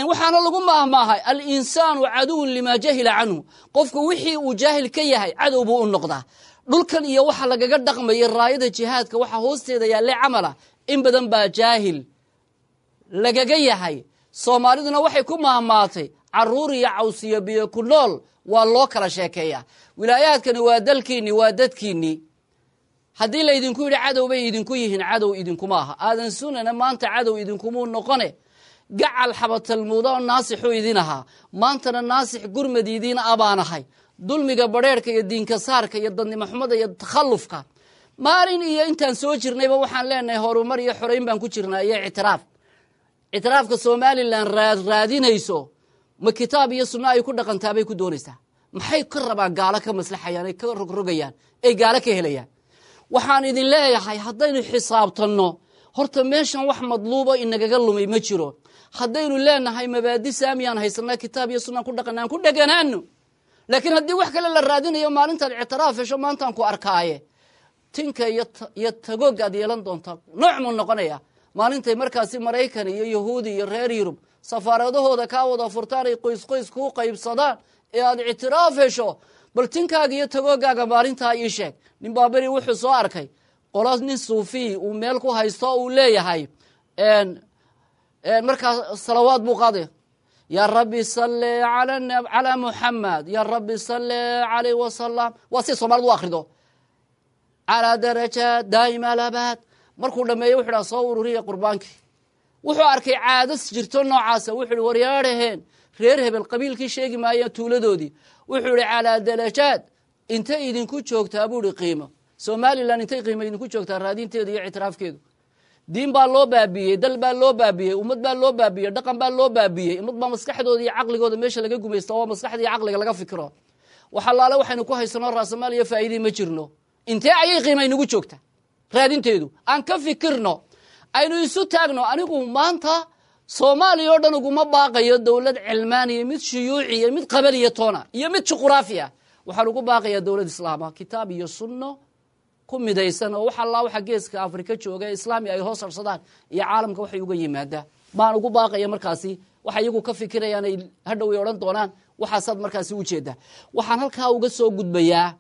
Waxaana lagu maahmaahay: alinsaanu caduwun limaa jahila canhu. Qofku wixii uu jaahil ka yahay cadow buu u noqdaa. Dhulkan iyo waxa lagaga dhaqmaya raayada jihaadka, waxa hoosteeda yaalle camala, in badan baa jaahil lagaga yahay. Soomaaliduna waxay ku maahmaatay: caruur iyo cawsiyo biyo ku nool waa loo kala sheekeeyaa. Wilaayaadkani waa dalkiinni, waa dadkiinni. Haddii laydinku yidhi cadow bay idinku yihiin, cadow idinkuma aha. Aadan Sunana maanta cadow idinkumuu noqone, gacal xabatalmuuda oo naasixuu idin ahaa, maantana naasix gurmad idiin abaanahay. Dulmiga badheerhka iyo diinka saarka iyo dadnimo xumada iyo takhallufka maalin iyo intaan soo jirnayba waxaan leenahay horumar iyo xorayn baan ku jirnaa iyo ictiraaf. Ictiraafka Somalilan raadinayso, ma kitaab iyo sunno ay ku dhaqantaabay ku doonaysaa? Maxay ka rabaan? Gaalo ka maslaxayaan, ay ka rogrogayaan, ay gaalo ka helayaan. Waxaan idin leeyahay, haddaynu xisaabtanno horta meeshan wax madluubo inagaga lumay ma jiro. Haddaynu leenahay mabaadi saamiyaan haysanaa, kitaab iyo sunnaan ku dhaqana, aan ku dheganaano. Laakiin haddii wax kale la raadinayo, maalintaad ictiraaf hesho maantaan ku arkaaye, tinka iyo tagoog aad yeelan doontaa nooc muu noqonaya. Maalintay markaasi Maraykan iyo Yahuudi iyo reer Yurub safaaradahooda kaa wada furtaan, ay qoys qoys kuu qaybsadaan ee aad ictiraaf hesho, bal tinkaaga iyo tagoogaaga maalintaa ii sheeg. Nin baaberi wuxuu soo arkay qolo nin suufiy uu meel ku haysto, uu leeyahay markaa salawaad buu qaadaya. Yaa rabbi salli calaa Muxamed, yaa rabbi salli calayh wasalam. Waa si Soomaalidu u akhrido, calaa darajaat daa'ima alabaad. Markuu dhameeyo wuxu dhaha soo ururiya qurbaankii. Wuxuu arkay caadas jirto noocaasa. Wuxuu ihi waryaadhaheen reer hebel, qabiilkii sheegi maayeen, tuuladoodii. Wuxuu ihi calaa darajaad intay idinku joogtaa buu ihi qiimo Somalilan, intay qiimo idinku joogtaa raadinteedu iyo ictiraafkeedu? Diin baa loo baabiyey, dal baa loo baabiyey, ummad baa loo baabiyey, dhaqan baa loo baabiyey. Ummad baa maskaxdooda iyo caqligooda meesha laga gumaysta oo maskaxda iyo caqliga laga fikiro. Wax allaale waxaynu ku haysanoo raasamaal iyo faa'iidii ma jirno. Intee ayay qiima inagu joogtaa raadinteedu? Aan ka fikirno, aynu isu taagno. Anigu maanta Soomaaliya oo dhan uguma baaqayo dowlad cilmaaniya, mid shuyuuciya, mid qabaliya toona iyo mid juquraafiya. Waxaan ugu baaqayaa dowlad islaama, kitaab iyo sunno ku midaysan, oo wax allaa waxa geeska Afrika jooga ee islaami ay hoos harsadaan iyo caalamka waxay uga yimaadaa baan ugu baaqaya. Markaasi waxa iyagu ka fikirayaan ay hadhow ay odhan doonaan waxaasaad markaasi ujeedaa. Waxaan halkaa uga soo gudbayaa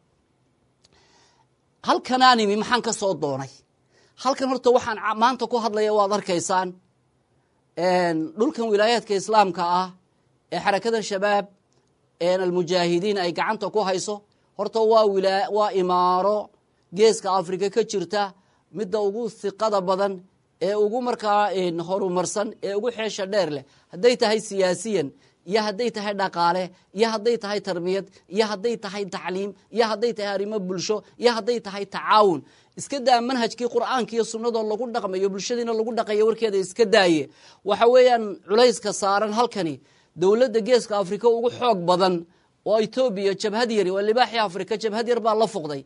halkanaan imi, maxaan ka soo doonay halkan? Horta waxaan maanta ku hadlaya waad arkaysaan. Dhulkan wilaayaadka islaamka ah ee xarakadan Shabaab Almujaahidiin ay gacanta ku hayso, horta waa imaaro geeska Afrika ka jirta midda ugu hiqada badan ee ugu markaa horumarsan ee ugu xeesha dheer leh, hadday tahay siyaasiyan iyo hadday tahay dhaqaale iyo hadday tahay tarbiyad iyo hadday tahay tacliim iyo hadday tahay arrimo bulsho iyo hadday tahay tacaawun. Iska daa manhajkii Qur'aanka iyo sunnadoo lagu dhaqmayo, bulshadiina lagu dhaqayo, warkeeda iska daaye. Waxa weeyaan culayska saaran halkani, dowladda geeska Afrika ugu xoog badan oo Etoobiya, jabhad yari waa libaaxii Afrika, jabhad yar baa la fuqday.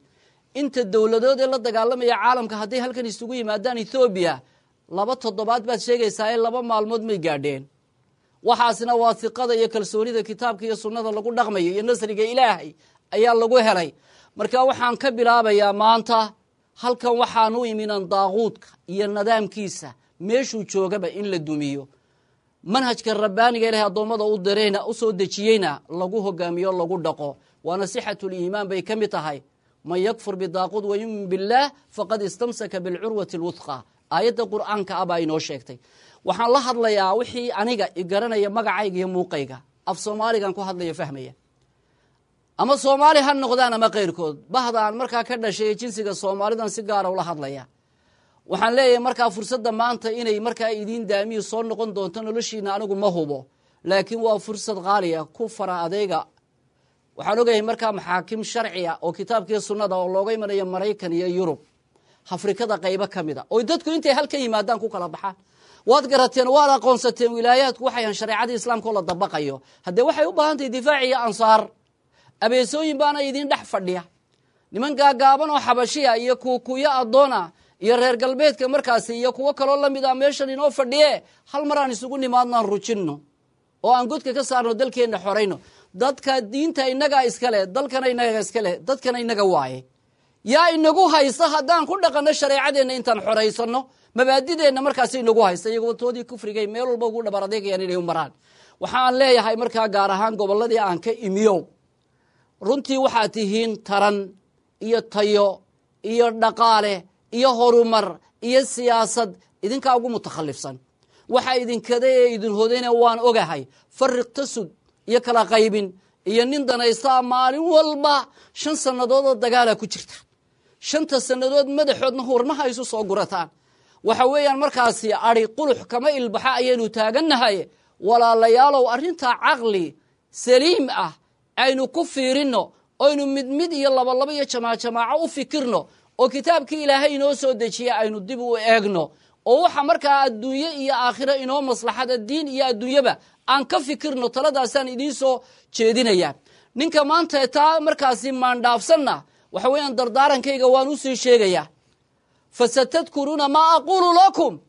Inta dowladood ee la dagaalamaya caalamka hadday halkan isugu yimaadaan, Ethoobiya 2 toddobaad baad sheegaysaa ee 2 maalmood may gaadheen. Waxaasna waa hiqada iyo kalsoonida kitaabka iyo sunnada lagu dhaqmayo iyo nasriga Ilaahay ayaa lagu helay. Marka waxaan ka bilaabayaa maanta halkan, waxaan u iminan daaquudka iyo nidaamkiisa meeshuu joogaba in la dumiyo, manhajka rabbaaniga Ilahay addoommada u dirayna, u soo dejiyeyna lagu hogaamiyo, lagu dhaqo. Waana sixatuliimaan bay ka mid tahay. Man yakfur bidaaquud wayumin billaah faqad istamsaka bilcurwati alwuthqa, aayadda Qur'aanka ah baa inoo sheegtay. Waxaan la hadlayaa wixii aniga igaranaya, magacayga iyo muuqayga, af Soomaaligan ku hadlaya fahmaya, ama Soomaali ha noqdaan ama keyrkood. Bahdaan markaa ka dhashay jinsiga Soomaalidan si gaara ula hadlaya. Waxaan leeyahay markaa fursadda maanta inay markaa idiin daamiyo soo noqon doonto noloshiina anigu ma hubo, laakiin waa fursad qaaliya, ku fara adeyga. Waxaan ogahay markaa maxaakim sharciya oo kitaabkiiyo sunnada oo looga imanayo Maraykan iyo Yurub, Afrikada qaybo ka mid a, oy dadku intay halkan yimaadaan ku kala baxaan. Waad garateen, waad aqoonsateen wilaayaadku waxay shareecadii islaamka oo la dabaqayo. Haddee waxay u baahan tahay difaac iyo ansaar. Abeesooyin baana idiin dhex fadhiya, niman gaagaaban oo xabashiya iyo kuukuyo addoona iyo reer galbeedka markaasi iyo kuwo kaloo lamid a meeshan inoo fadhiye. Hal mar aan isugu nimaadnaan rujinno oo aan godka ka saarno, dalkeenna xorayno. Dadka diinta innagaa iskale, dalkana inaga iskale, dadkana inaga waaye. Yaa inagu haysta haddaan ku dhaqanno shareecadeenna, intaan xoraysano mabaadideenna markaasi inagu haysta? Iyagoo toodii kufrigay meel walba ugu dhabar adeegayaan inay u maraan. Waxaan leeyahay markaa gaar ahaan gobolladii aan ka imiyow, runtii waxaad tihiin taran iyo tayo iyo dhaqaale iyo horumar iyo siyaasad idinkaa ugu mutakhalifsan. Waxa idinkada ee idin hodayna waan ogahay, fariq tasud iyo kala qaybin iyo nin danaystaa. Maalin walba 5 sannadood oo dagaala ku jirta, 5ta sannadood madaxoodna hurmaha isu soo gurataan. Waxa weeyaan markaasi ari qulux kama ilbaxa ayaynu taagannahay. Walaalayaalow, arrintaa caqli saliim ah aynu ku fiirinno, oynu mid mid iyo labalabo iyo jamaac jamaaco u fikirno, oo kitaabkii Ilaahay inoo soo dejiya aynu dib u eegno, oo waxa markaa adduunye iyo aakhiro inoo maslaxada, diin iyo adduunyaba aan ka fikirno. Taladaasaan idiin soo jeedinaya. Ninka maanta taa markaasi maandhaafsanna, waxa weeyaan dardaarankayga waan usii sheegayaa: fasatadkuruuna maa aquulu lakum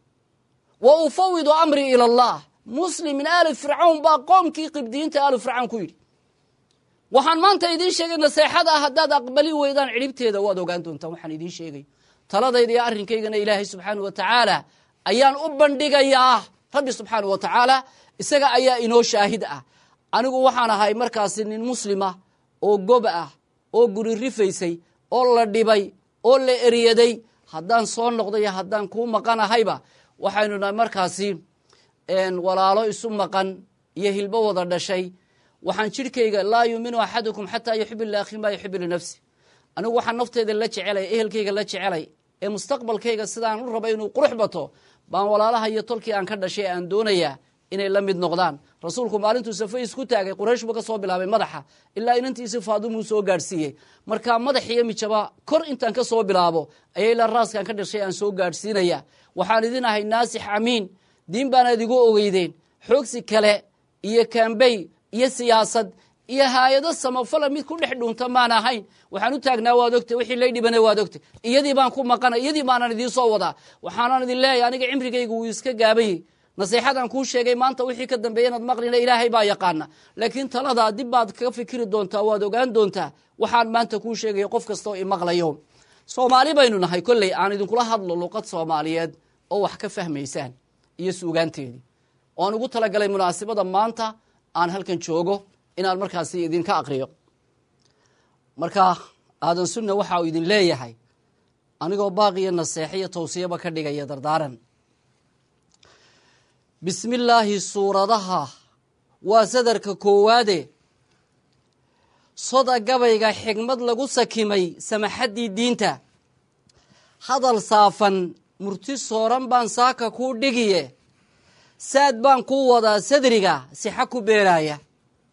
wa ufawidu amrii ila Allah. Muslim min aali Fircawn baa qoomkii qibdiyiinta aalu Fircawn ku yidhi: waxaan maanta idiin sheegay naseexada ah, haddaad aqbali weydaan cidhibteeda waad ogaan doontaan. Waxaan idiin sheegay taladayda iyo arrinkaygana Ilaahay subxaanah wa tacaala ayaan u bandhigayaa. Rabbi subxaanah wa tacaala isaga ayaa inoo shaahid ah. Anigu waxaan ahay markaasi nin muslima oo gob ah oo guri rifaysay oo la dhibay oo la eryaday. Haddaan soo noqday, haddaan kuu maqanahayba, waxaynu nahay markaasi walaalo isu maqan. Iyo hilbo wada dhashay. Waxaan jidhkayga, laa yuuminu axadukum xataa yuxibu liakhi maa yuxibu linafsi. Anigu waxaan nafteyda la jecelay, ehelkayga la jecelay, ee mustaqbalkayga sidaan u raba inuu qurux bato, baan walaalaha iyo tolkii aan ka dhashay aan doonayaa inay la mid noqdaan. Rasuulku maalintuu safe isku taagay, Quraysh buu ka soo bilaabay madaxa ilaa inantiisi Faadumuu soo gaadhsiiyey. Marka madax iyo mijaba kor intaan ka soo bilaabo ayay ilaa raaskaan ka dhashay aan soo gaadhsiinaya. Waxaan idin ahay naasix amiin. Diin baanaad igu ogeydeen. Xoogsi kale iyo kaambey iyo siyaasad iyo haayado samafala mid ku dhex dhuunta maan ahayn. Waxaan u taagnaa waad ogtay, wixii lay dhibana waad ogtay. Iyadii baan ku maqana, iyadii baanan idiin soo wadaa. Waxaanan idin leeyahay, aniga cimrigaygu wuu iska gaabayey. Nasiixadan kuu sheegay maanta wixii ka dambeeya inaad maqlina Ilaahay baa yaqaana, laakiin taladaa dib baad kaga fikiri doontaa, waad ogaan doontaa waxaan maanta kuu sheegayo. Qof kasta oo imaqlayo, Soomaali baynu nahay. Kolley aan idinkula hadlo luqad Soomaaliyeed oo wax ka fahmaysaan iyo suugaanteedii oo aan ugu talagalay munaasibada maanta aan halkan joogo inaan markaasi idinka aqriyo. Marka Aadan Sunna waxa uu idin leeyahay, anigoo baaqiyo naseexiyo tawsiyaba ka dhigaya dardaaran: Bismillaahi suuradaha waa sadarka koowaade, soda gabayga xigmad lagu sakimay, samaxaddii diinta, hadal saafan murti sooran baan saaka kuu dhigiye. Saad baan kuu wadaa sadriga sixa ku beeraaya,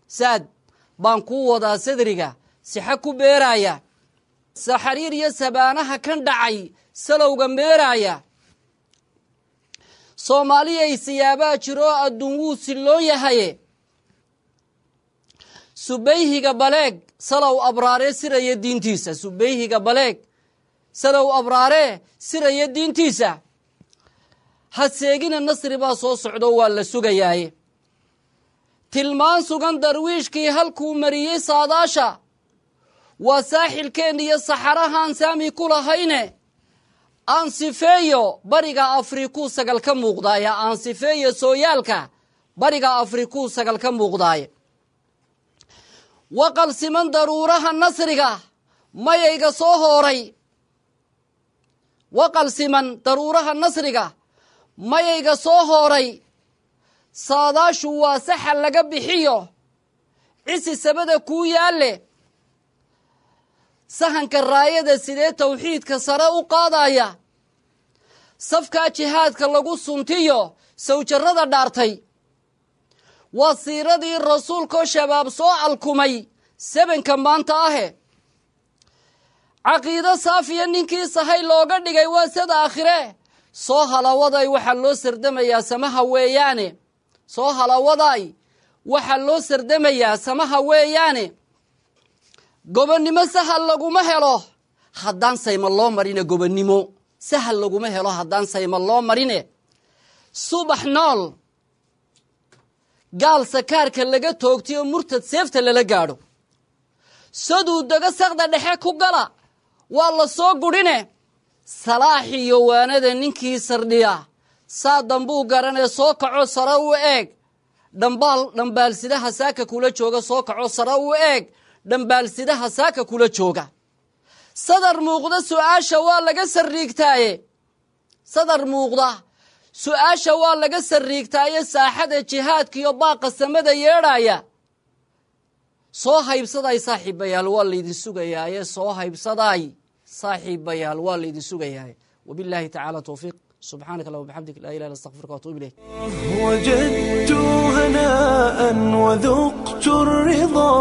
saad baan kuu wadaa sadriga sixa ku beeraaya, saxariir iyo sabaanaha kan dhacay salowga meeraaya. Soomaaliyay siyaabaa jiroo adduun wuu silloon yahaye. Subayhiga baleeg salow abraaree siraya diintiisa, subayhiga baleeg salow abraaree siraya diintiisa. Ha seegina, nasri baa soo socdo, waa la sugayaaye. Tilmaan sugan darwiishkii halkuu mariyey saadaasha waa saaxilkeenna iyo saxarahaan saami ku lahayne. Aan sifeeyo bariga Afrikuu sagal ka muuqdaaya, aan sifeeyo sooyaalka bariga Afrikuu sagal ka muuqdaaye. Waqal siman daruuraha nasriga mayayga soo hooray, waqal siman daruuraha nasriga mayayga soo hooray. Saadaashu waa saxa laga bixiyo cisi sabada kuu yaalle. Sahanka raayada sidee tawxiidka sare u qaadaya, safkaa jihaadka lagu suntiyo sawjarrada dhaartay. Waa siiradii rasuulkoo shabaab soo alkumay sebanka maanta ahe. Caqiido saafiya ninkii sahay looga dhigay waa sad aakhire. Soo halawaday, waxaa loo sardamayaa samaha weeyaane. Soo halawaday, waxaa loo sardamayaa samaha weeyaane. Gobonnimo sahal laguma helo haddaan sayma loo marine. Gobonnimo sahal laguma helo haddaan sayma loo marine. Subax nool gaal sakaarka laga toogtay oo murtad seefta lala gaadho, saduu dago saqda dhexe ku gala, waa la soo gudhine. Salaax iyo waanada ninkii sardhiya saa dambuu garanee. Soo kaco, sare u eeg dhambaal, dhambaalsidaha saaka kula jooga. Soo kaco, sare u eeg dhambaalsidaha saaka kula jooga. Sadar muuqda su-aasha waa laga sarriigtaaye, sadar muuqda su-aasha waa laga sarriigtaaye. Saaxada jihaadkiiyo baaqa samada yeedhaya soo haybsaday saaxiibayaal, waa laydin sugayaaye. Soo haybsaday saaxiibayaal, waa laydin sugayaaye. Wabillahi tacaala towfiiq. Subxaanaka allahuma bixamdik, laa ilaha illa astaqfiruka waatuub ilayk. وجدت هناء وذقت الرضا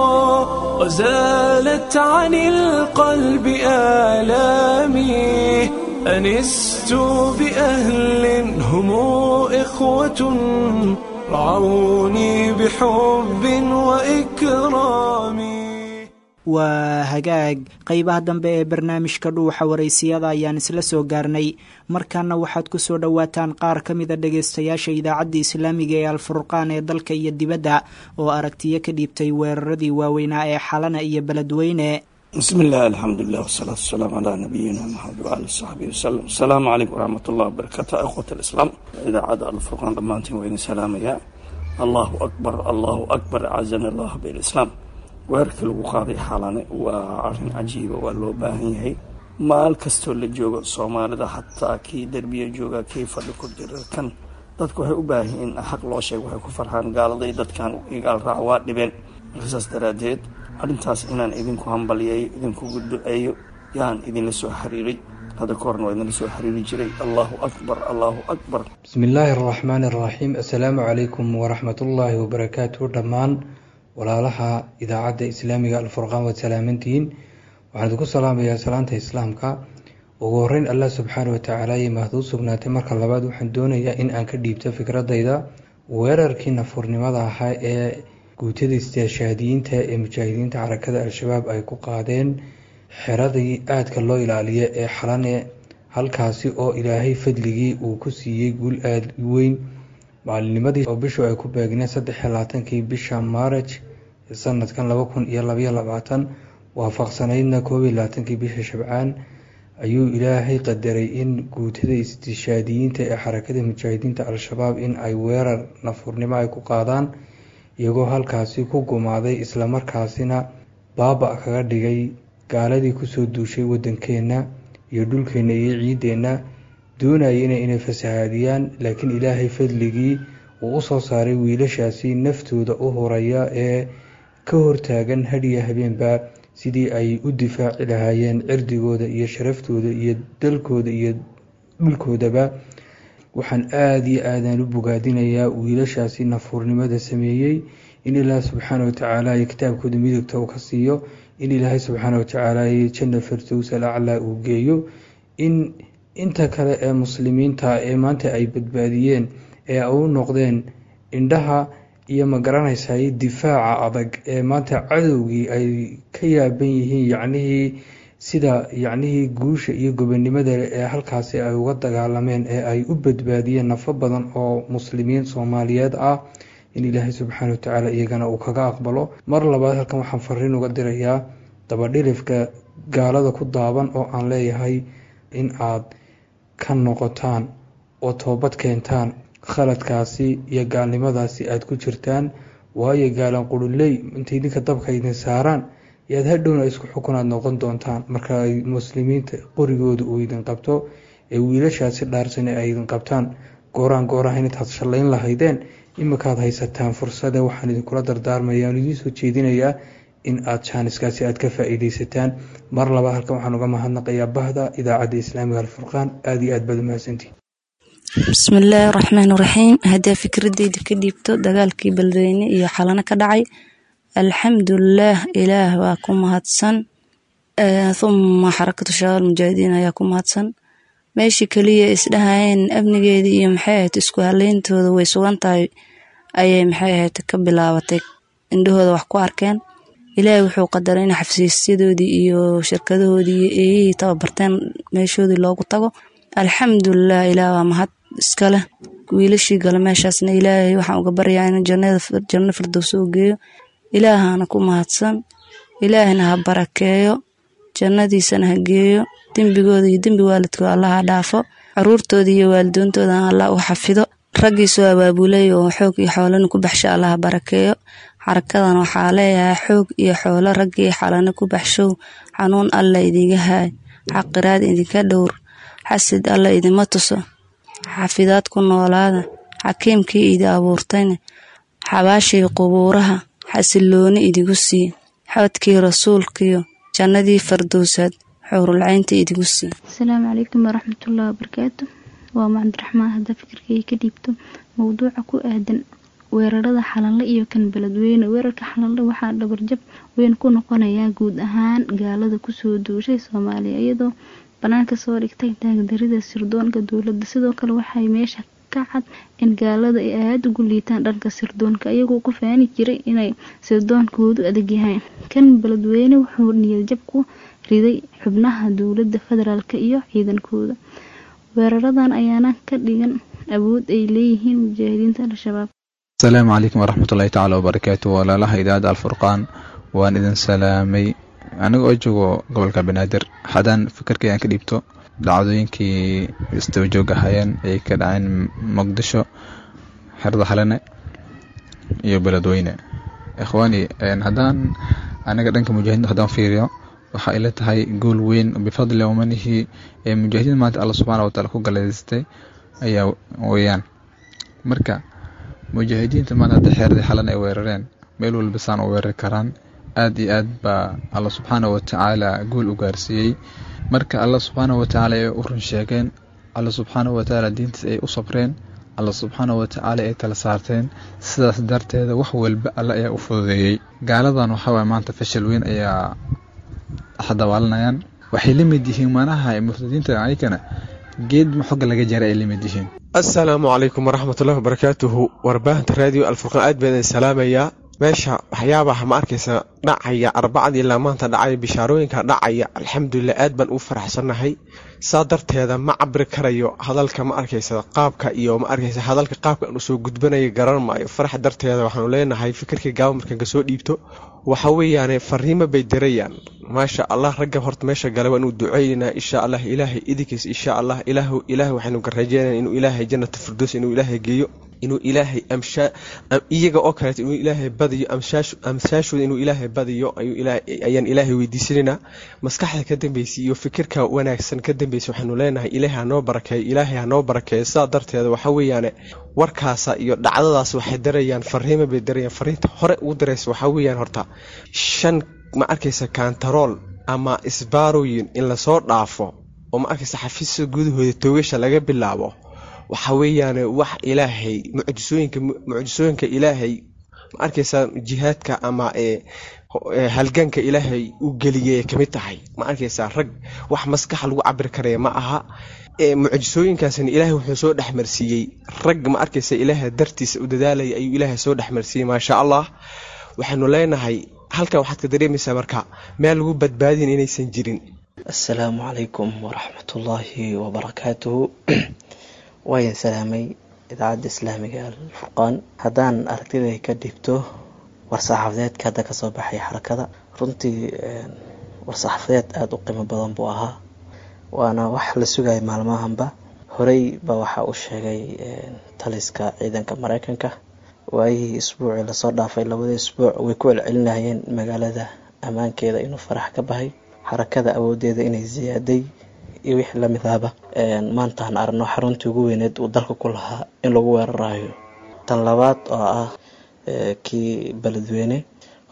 وزالت عن القلب آلامي. أنست بأهل هم إخوة، رعوني بحب وإكرام. Waa hagaag. Qeybaha dambe ee barnaamijka Dhuuxa Waraysiyada ayaan isla soo gaarnay. Markaana waxaad ku soo dhowaataan qaar ka mida dhagaystayaasha Idaacadda Islaamiga ee Alfurqaan ee dalka iyo dibadda oo aragtiyo ka dhiibtay weeraradii waaweynaa ee Xalana iyo Beledweyne. بسم الله، الحمد لله، والصلاة والسلام على نبينا محمد وعلى صحبه وسلم. السلام عليكم ورحمة الله وبركاته. إخوة الإسلام، إذاعة الفرقان dhammaantiin waa idin salaamaya. الله أكبر، الله أكبر، أعزنا الله بالإسلام. Weerarkii lagu qaaday Xalane waa arrin cajiiba, waa loo baahan yahay. Maal kastoo la joogo Soomaalida, xataa kii derbiya jooga, kii fadhi ku jira, kan Dadku waxay u baahan yihiin in xaq loo sheego, waxay ku farxaan gaaladay dadkan igaal raac waa dhibeen. Marka saas daraaddeed arrintaas inaan idinku hambaliyeeyo, idinkugu duceeyo yaan idinla soo xiriiray. Hadda ka horna waa idinla soo xiriiri jiray. Allahu akbar, allahu akbar. Bismi illaahi araxmaani araxiim. Assalaamu calaykum waraxmatullaahi wabarakaatu. Dhammaan walaalaha idaacadda islaamiga Alfurqaan waad salaamantihiin. Waxaan idinku salaamayaa salaanta islaamka. Ugu horeyn Allah subxaana watacaala ayay mahad u sugnaatay. Marka labaad waxaan doonayaa in aan ka dhiibto fikradayda weerarkii nafuurnimada ahaa ee guutada istiishaadiyiinta ee mujaahidiinta xarakada Al-Shabaab ay ku qaadeen xeradii aadka loo ilaaliya ee Xalane, halkaasi oo Ilaahay fadligii uu ku siiyey guul aada u weyn. Maalinimadii oo bishu ay ku beegneen 23-kii bisha Maaraj sanadkan 2022, waafaqsanaydna 21-kii bisha Shabcaan, ayuu Ilaahay qadaray in guutada istishaadiyiinta ee xarakada mujaahidiinta Al-Shabaab in ay weerar nafuurnimo ay ku qaadaan, iyagoo halkaasi ku gumaaday islamarkaasina baaba kaga dhigay gaaladii kusoo duushay wadankeena iyo dhulkeena iyo ciideenna, doonayena inay fasahaadiyaan. Laakiin Ilaahay fadligii uu usoo saaray wiilashaasi naftooda u huraya ee ka hortaagan hadhiya habeenba sidii ay u difaaci lahaayeen cirdigooda iyo sharaftooda iyo dalkooda iyo dhulkoodaba. Waxaan aada iyo aadaan u bogaadinayaa wiilashaasi nafuurnimada sameeyey, in Ilaah subxaana watacaala iyo kitaabkooda midigta uu ka siiyo, in Ilaahay subxaana watacaala iyo janna firdows al aclaa uu geeyo, in inta kale ee muslimiinta ee maanta ay badbaadiyeen ee u noqdeen indhaha iyo magaranaysaay difaaca adag ee maanta cadowgii ay ka yaaban yihiin, yacnihii sida yacnihii guusha iyo gobonimada ee halkaasi ay uga dagaalameen ee ay u badbaadiyeen nafo badan oo muslimiin Soomaaliyeed ah, in Ilaahay subxaana watacaala iyagana uu kaga aqbalo. Mar labaad halkan waxaan fariin uga dirayaa dabadhilifka gaalada ku daaban oo aan leeyahay in aad ka noqotaan oo toobad keentaan khaladkaasi iyo gaalnimadaasi aada ku jirtaan, waayo gaalan quruley intay idinka dabka idin saaraan yaad hadhowna isku xukunaad noqon doontaan marka ay muslimiinta qorigooda uu idin qabto ee wiilashaasi dhaarsane ay idin qabtaan. Gooraan goorahan intaad shallayn lahaydeen iminkaad haysataan fursade. Waxaan idinkula dardaarmaya aan idiin soo jeedinayaa in aad jaaniskaasi aad ka faa-iideysataan. Mar labaad halkan waxaan uga mahadnaqayaa bahda idaacadda islaamiga Alfurqaan. Aada iyo aad baad umahadsantihin. Bismillaahi raxmaani raxiim. Haddii fikradeyda ka dhiibto dagaalkii Beledweyne iyo Xalano ka dhacay, alxamdulilaah, Ilaah waa ku mahadsan, thumma Xarakatu Shabaab Mujaahidiin ayaa ku mahadsan. Meeshii keliya isdhahayeen amnigeedii iyo maxay ahayd isku haleyntooda way sugan tahay ayay maxay ahayd ka bilaabatay, indhahooda wax ku arkeen. Ilaahay wuxuu qadaray in xafiisyadoodii iyo shirkadahoodii iyo eeyihii tababarteen meeshoodii loogu tago. Alxamdulilah, Ilaah waa mahad iskaleh. Wiilashii gala meeshaasna Ilaahay waxaan uga baryaa inuu janno firdows u geeyo. Ilaahana ku mahadsan, Ilaahina ha barakeeyo, jannadiisana ha geeyo, dembigooda iyo dembi waalidkooda Allah ha dhaafo, caruurtooda iyo waalidoontoodana Allah u xafido. Raggii soo abaabulay oo xoog iyo xoolana ku baxsha Allah ha barakeeyo. Xarakadan waxaa leeyahay xoog iyo xoolo raggii Xalana ku baxshow, xanuun alla idinga haay, xaqiraad idinka dhowr, xasid alla idima tuso, xafidaad ku noolaada. Xakiimkii idi abuurtayna xabaashii qubuuraha xasilooni idigu sii, xodkii rasuulkiyo jannadii fardowsaad xuurulcaynta idigu sii. Asalaamu calaykum waraxmatullahi wabarakaatu. Waa Macabdiraxmaan. Hadda fikirkayga ka dhiibto mowduuca ku aadan weerarada Xalanle iyo kan Beledweyne. Weerarka Xalanle waxaa dhabarjab weyn ku noqonayaa guud ahaan gaalada kusoo duushay Soomaaliya, iyadoo banaanka soo dhigtay taagdarida sirdoonka dowladda. Sidoo kale waxay meesha ka cad in gaalada ay aada ugu liitaan dhanka sirdoonka, iyagoo ku faani jiray inay sirdoonkoodu adag yahay. Kan Beledweyne wuxuu niyadjab ku riday xubnaha dowladda federaalk iyo ciidankooda. Weeraradan ayaana ka dhigan awood ay leeyihiin mujaahidiinta Al-Shabaab. Asalaamu calaykum waraxmatullahi tacaala wabarakaatu. Walaalaha idaacadda Alfurqaan, waan idin salaamay. Aniga oo joogo gobolka Banaadir, haddaan fikirkay aan ka dhiibto dhacdooyinkii isdaba joog ahaayeen ay ka dhaceen Muqdisho, xerada Xalane iyo Beledweyne, ikhwaani, haddaan aniga dhanka mujaahidiinta haddaan fiiriyo, waxaa ila tahay gool weyn bifadli wamanihi ee mujaahidiin maanta Alla subxaana wataala ku galaystay ayaa weeyaan. Marka mujaahidiinta maanta hadda xeeradii xalan ay weerareen meel walba saan u weerari karaan. Aad iyo aad baa Alla subxaana watacaala guul u gaarsiiyey. Marka Alla subxaana watacaala ay u run sheegeen, Alla subxaana watacaala diintiis ay u sabreen, Alla subxaana watacaala ay tala saarteen. Sidaas darteeda wax walba Alla ayaa u fududeeyey. Gaaladan waxaa waye maanta fashil weyn ayaa dhex dabaalanayaan. Waxay la mid yihiin manaha murtadiinta ayakana geed xogga laga jaray ay la mid yihiin. Assalaamu calaykum waraxmatullahi wabarakaatuhu. Warbaahinta Raadiyo Alfurqaan aad baan idin salaamayaa. Meesha waxyaabaha ma arkaysa dhacaya Arbacadii ilaa maanta dhacaya, bishaarooyinka dhacaya, alxamdulilah, aad baan u faraxsannahay. Saa darteeda ma cabiri karayo hadalka, ma arkaysa, qaabka iyo ma arkaysa hadalka qaabka aan usoo gudbanayo garan maayo farax darteeda. Waxaanu leenahay fikirkii gaaba markaan kasoo dhiibto waxa weeyaane fariimo bay dirayaan, maasha Allah. Ragga horta meesha galay waa inuu duceynaa, insha Allah, Ilaahay idinkiis, insha Allah. Ilaah, Ilaahay waxaynu ka rajeynaya inuu Ilaahay jannata firdows inuu Ilaahay geeyo, inuu Ilaahay amshaa iyaga oo kaleeto, inuu Ilaahay badiyo amsaashooda, inuu Ilaahay badiyo ayaan Ilaahay weydiisanaynaa. Maskaxda ka dambeysay iyo fikirka wanaagsan ka dambeysay waxaanu leenahay Ilaahay hanoo barakeeyo, Ilaahay hanoo barakeeyo. Sidaa darteeda waxa weeyaane warkaasa iyo dhacdadaas waxay dirayaan fariimo bay dirayaan. Fariinta hore ugu diraysa waxaa weeyaan horta shan, ma arkaysa, kantarool ama isbaarooyin in lasoo dhaafo oo, ma arkaysa, xafiiska gudahooda toogasha laga bilaabo, waxa weeyaane wax Ilaahay mucjisooyinka Ilaahay, ma arkaysa, jihaadka ama halganka Ilaahay u geliyay kamid tahay. Ma arkaysa, rag wax maskaxa lagu cabiri karaya ma aha. Mucjisooyinkaasna Ilaahay wuxuu soo dhexmarsiiyey rag, ma arkaysa, Ilaahay dartiisa u dadaalaya ayuu Ilaahay soo dhexmarsiiyey, maasha Allah. Waxaanu leenahay halkan waxaad ka dareemaysaa marka meel lagu badbaadin inaysan jirin. Assalaamu calaykum waraxmatullaahi wabarakaatuhu. Waayan salaamay Idaacadda Islaamiga Alfurqaan. Haddaan aragtiday ka dhibto war-saxaafadeedka hadda kasoo baxay xarakada, runtii war-saxaafadeed aada u qiimo badan buu ahaa, waana wax la sugaya maalmahanba. Horey ba waxaa u sheegay taliska ciidanka Mareykanka waayihii isbuucii lasoo dhaafay, labadii isbuuc way ku celcelinayeen magaalada ammaankeeda inuu farax ka bahay, xarakada awoodeeda inay ziyaaday iyo wixii lamid ahba. Maantaan aragno xaruntii ugu weyneed uu dalka ku lahaa in lagu weerarayo. Tan labaad oo ah kii Beledweyne,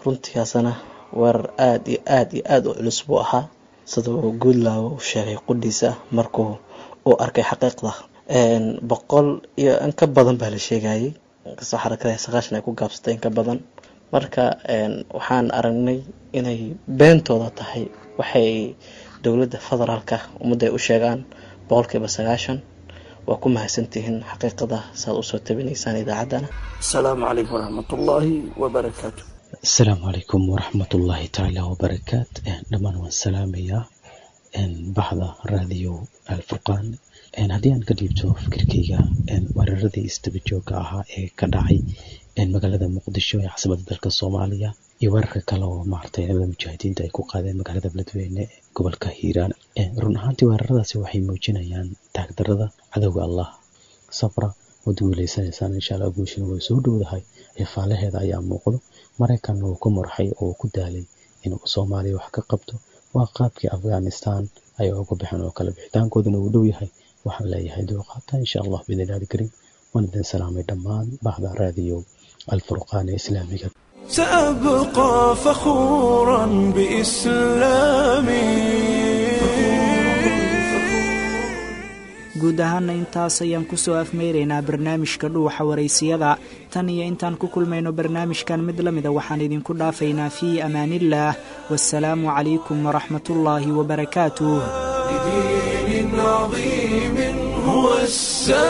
runtiiasana weerar aada iyo aada iyo aada u culus buu ahaa, sida uu Guudlaawo u sheegay qudhiisa markuu uu arkay xaqiiqda. 100 iyo in ka badan baa la sheegayay, inkastoo xarakada 90 ay ku gaabsatay in ka badan. Marka waxaan aragnay inay beentooda tahay waxay dowladda federaalka ummadda ay u sheegaan 90%. Waa ku mahadsantihiin xaqiiqada saad usoo tabinaysaan idaacaddana. Asalaamu calaykum waraxmatullaahi wabarakaatu. Asalaamu calaykum waraxmatullaahi tacaala wabarakaat. Dhammaan waan salaamayaa baxda Raadiyo Alfurqaan. Haddii aan ka dhiibto fikirkeyga weeraradii isdaba joogga ahaa ee ka dhacay magaalada Muqdisho ee caasimadda dalka Soomaaliya iyo weerarka kale oo maaragtay ciidamada mujaahidiinta ay ku qaadeen magaalada Beledweyne ee gobolka Hiiraan, run ahaantii weeraradaasi waxay muujinayaan taagdarada cadowga Allah. Sabra, waad guuleysanaysaan insha Allah, guushina way soo dhowdahay, faalaheeda ayaa muuqdo. Maraykanna uu ku murxay oo ku daalay inuu Soomaaliya wax ka qabto. Waa qaabkii Afghanistan ay uga baxeen oo kale, bixitaankooduna uu dhow yahay. Waxaan leeyahay dulqaata insha Allah biidnillahi alkariim. Waan idin salaamay dhammaan bahda Raadiyo Alfurqaan ee Islaamiga. سأبقى فخورا بإسلامي. Guud ahaana intaas ayaan kusoo afmeyraynaa barnaamijka Dhuuxa Waraysiyada. Tan iyo intaan ku kulmayno barnaamijkan mid la mida, waxaan idinku dhaafaynaa fii amaaniillaah, wasalaamu calaykum waraxmatullaahi wabarakaatuh. لدين عظيم هو السلام.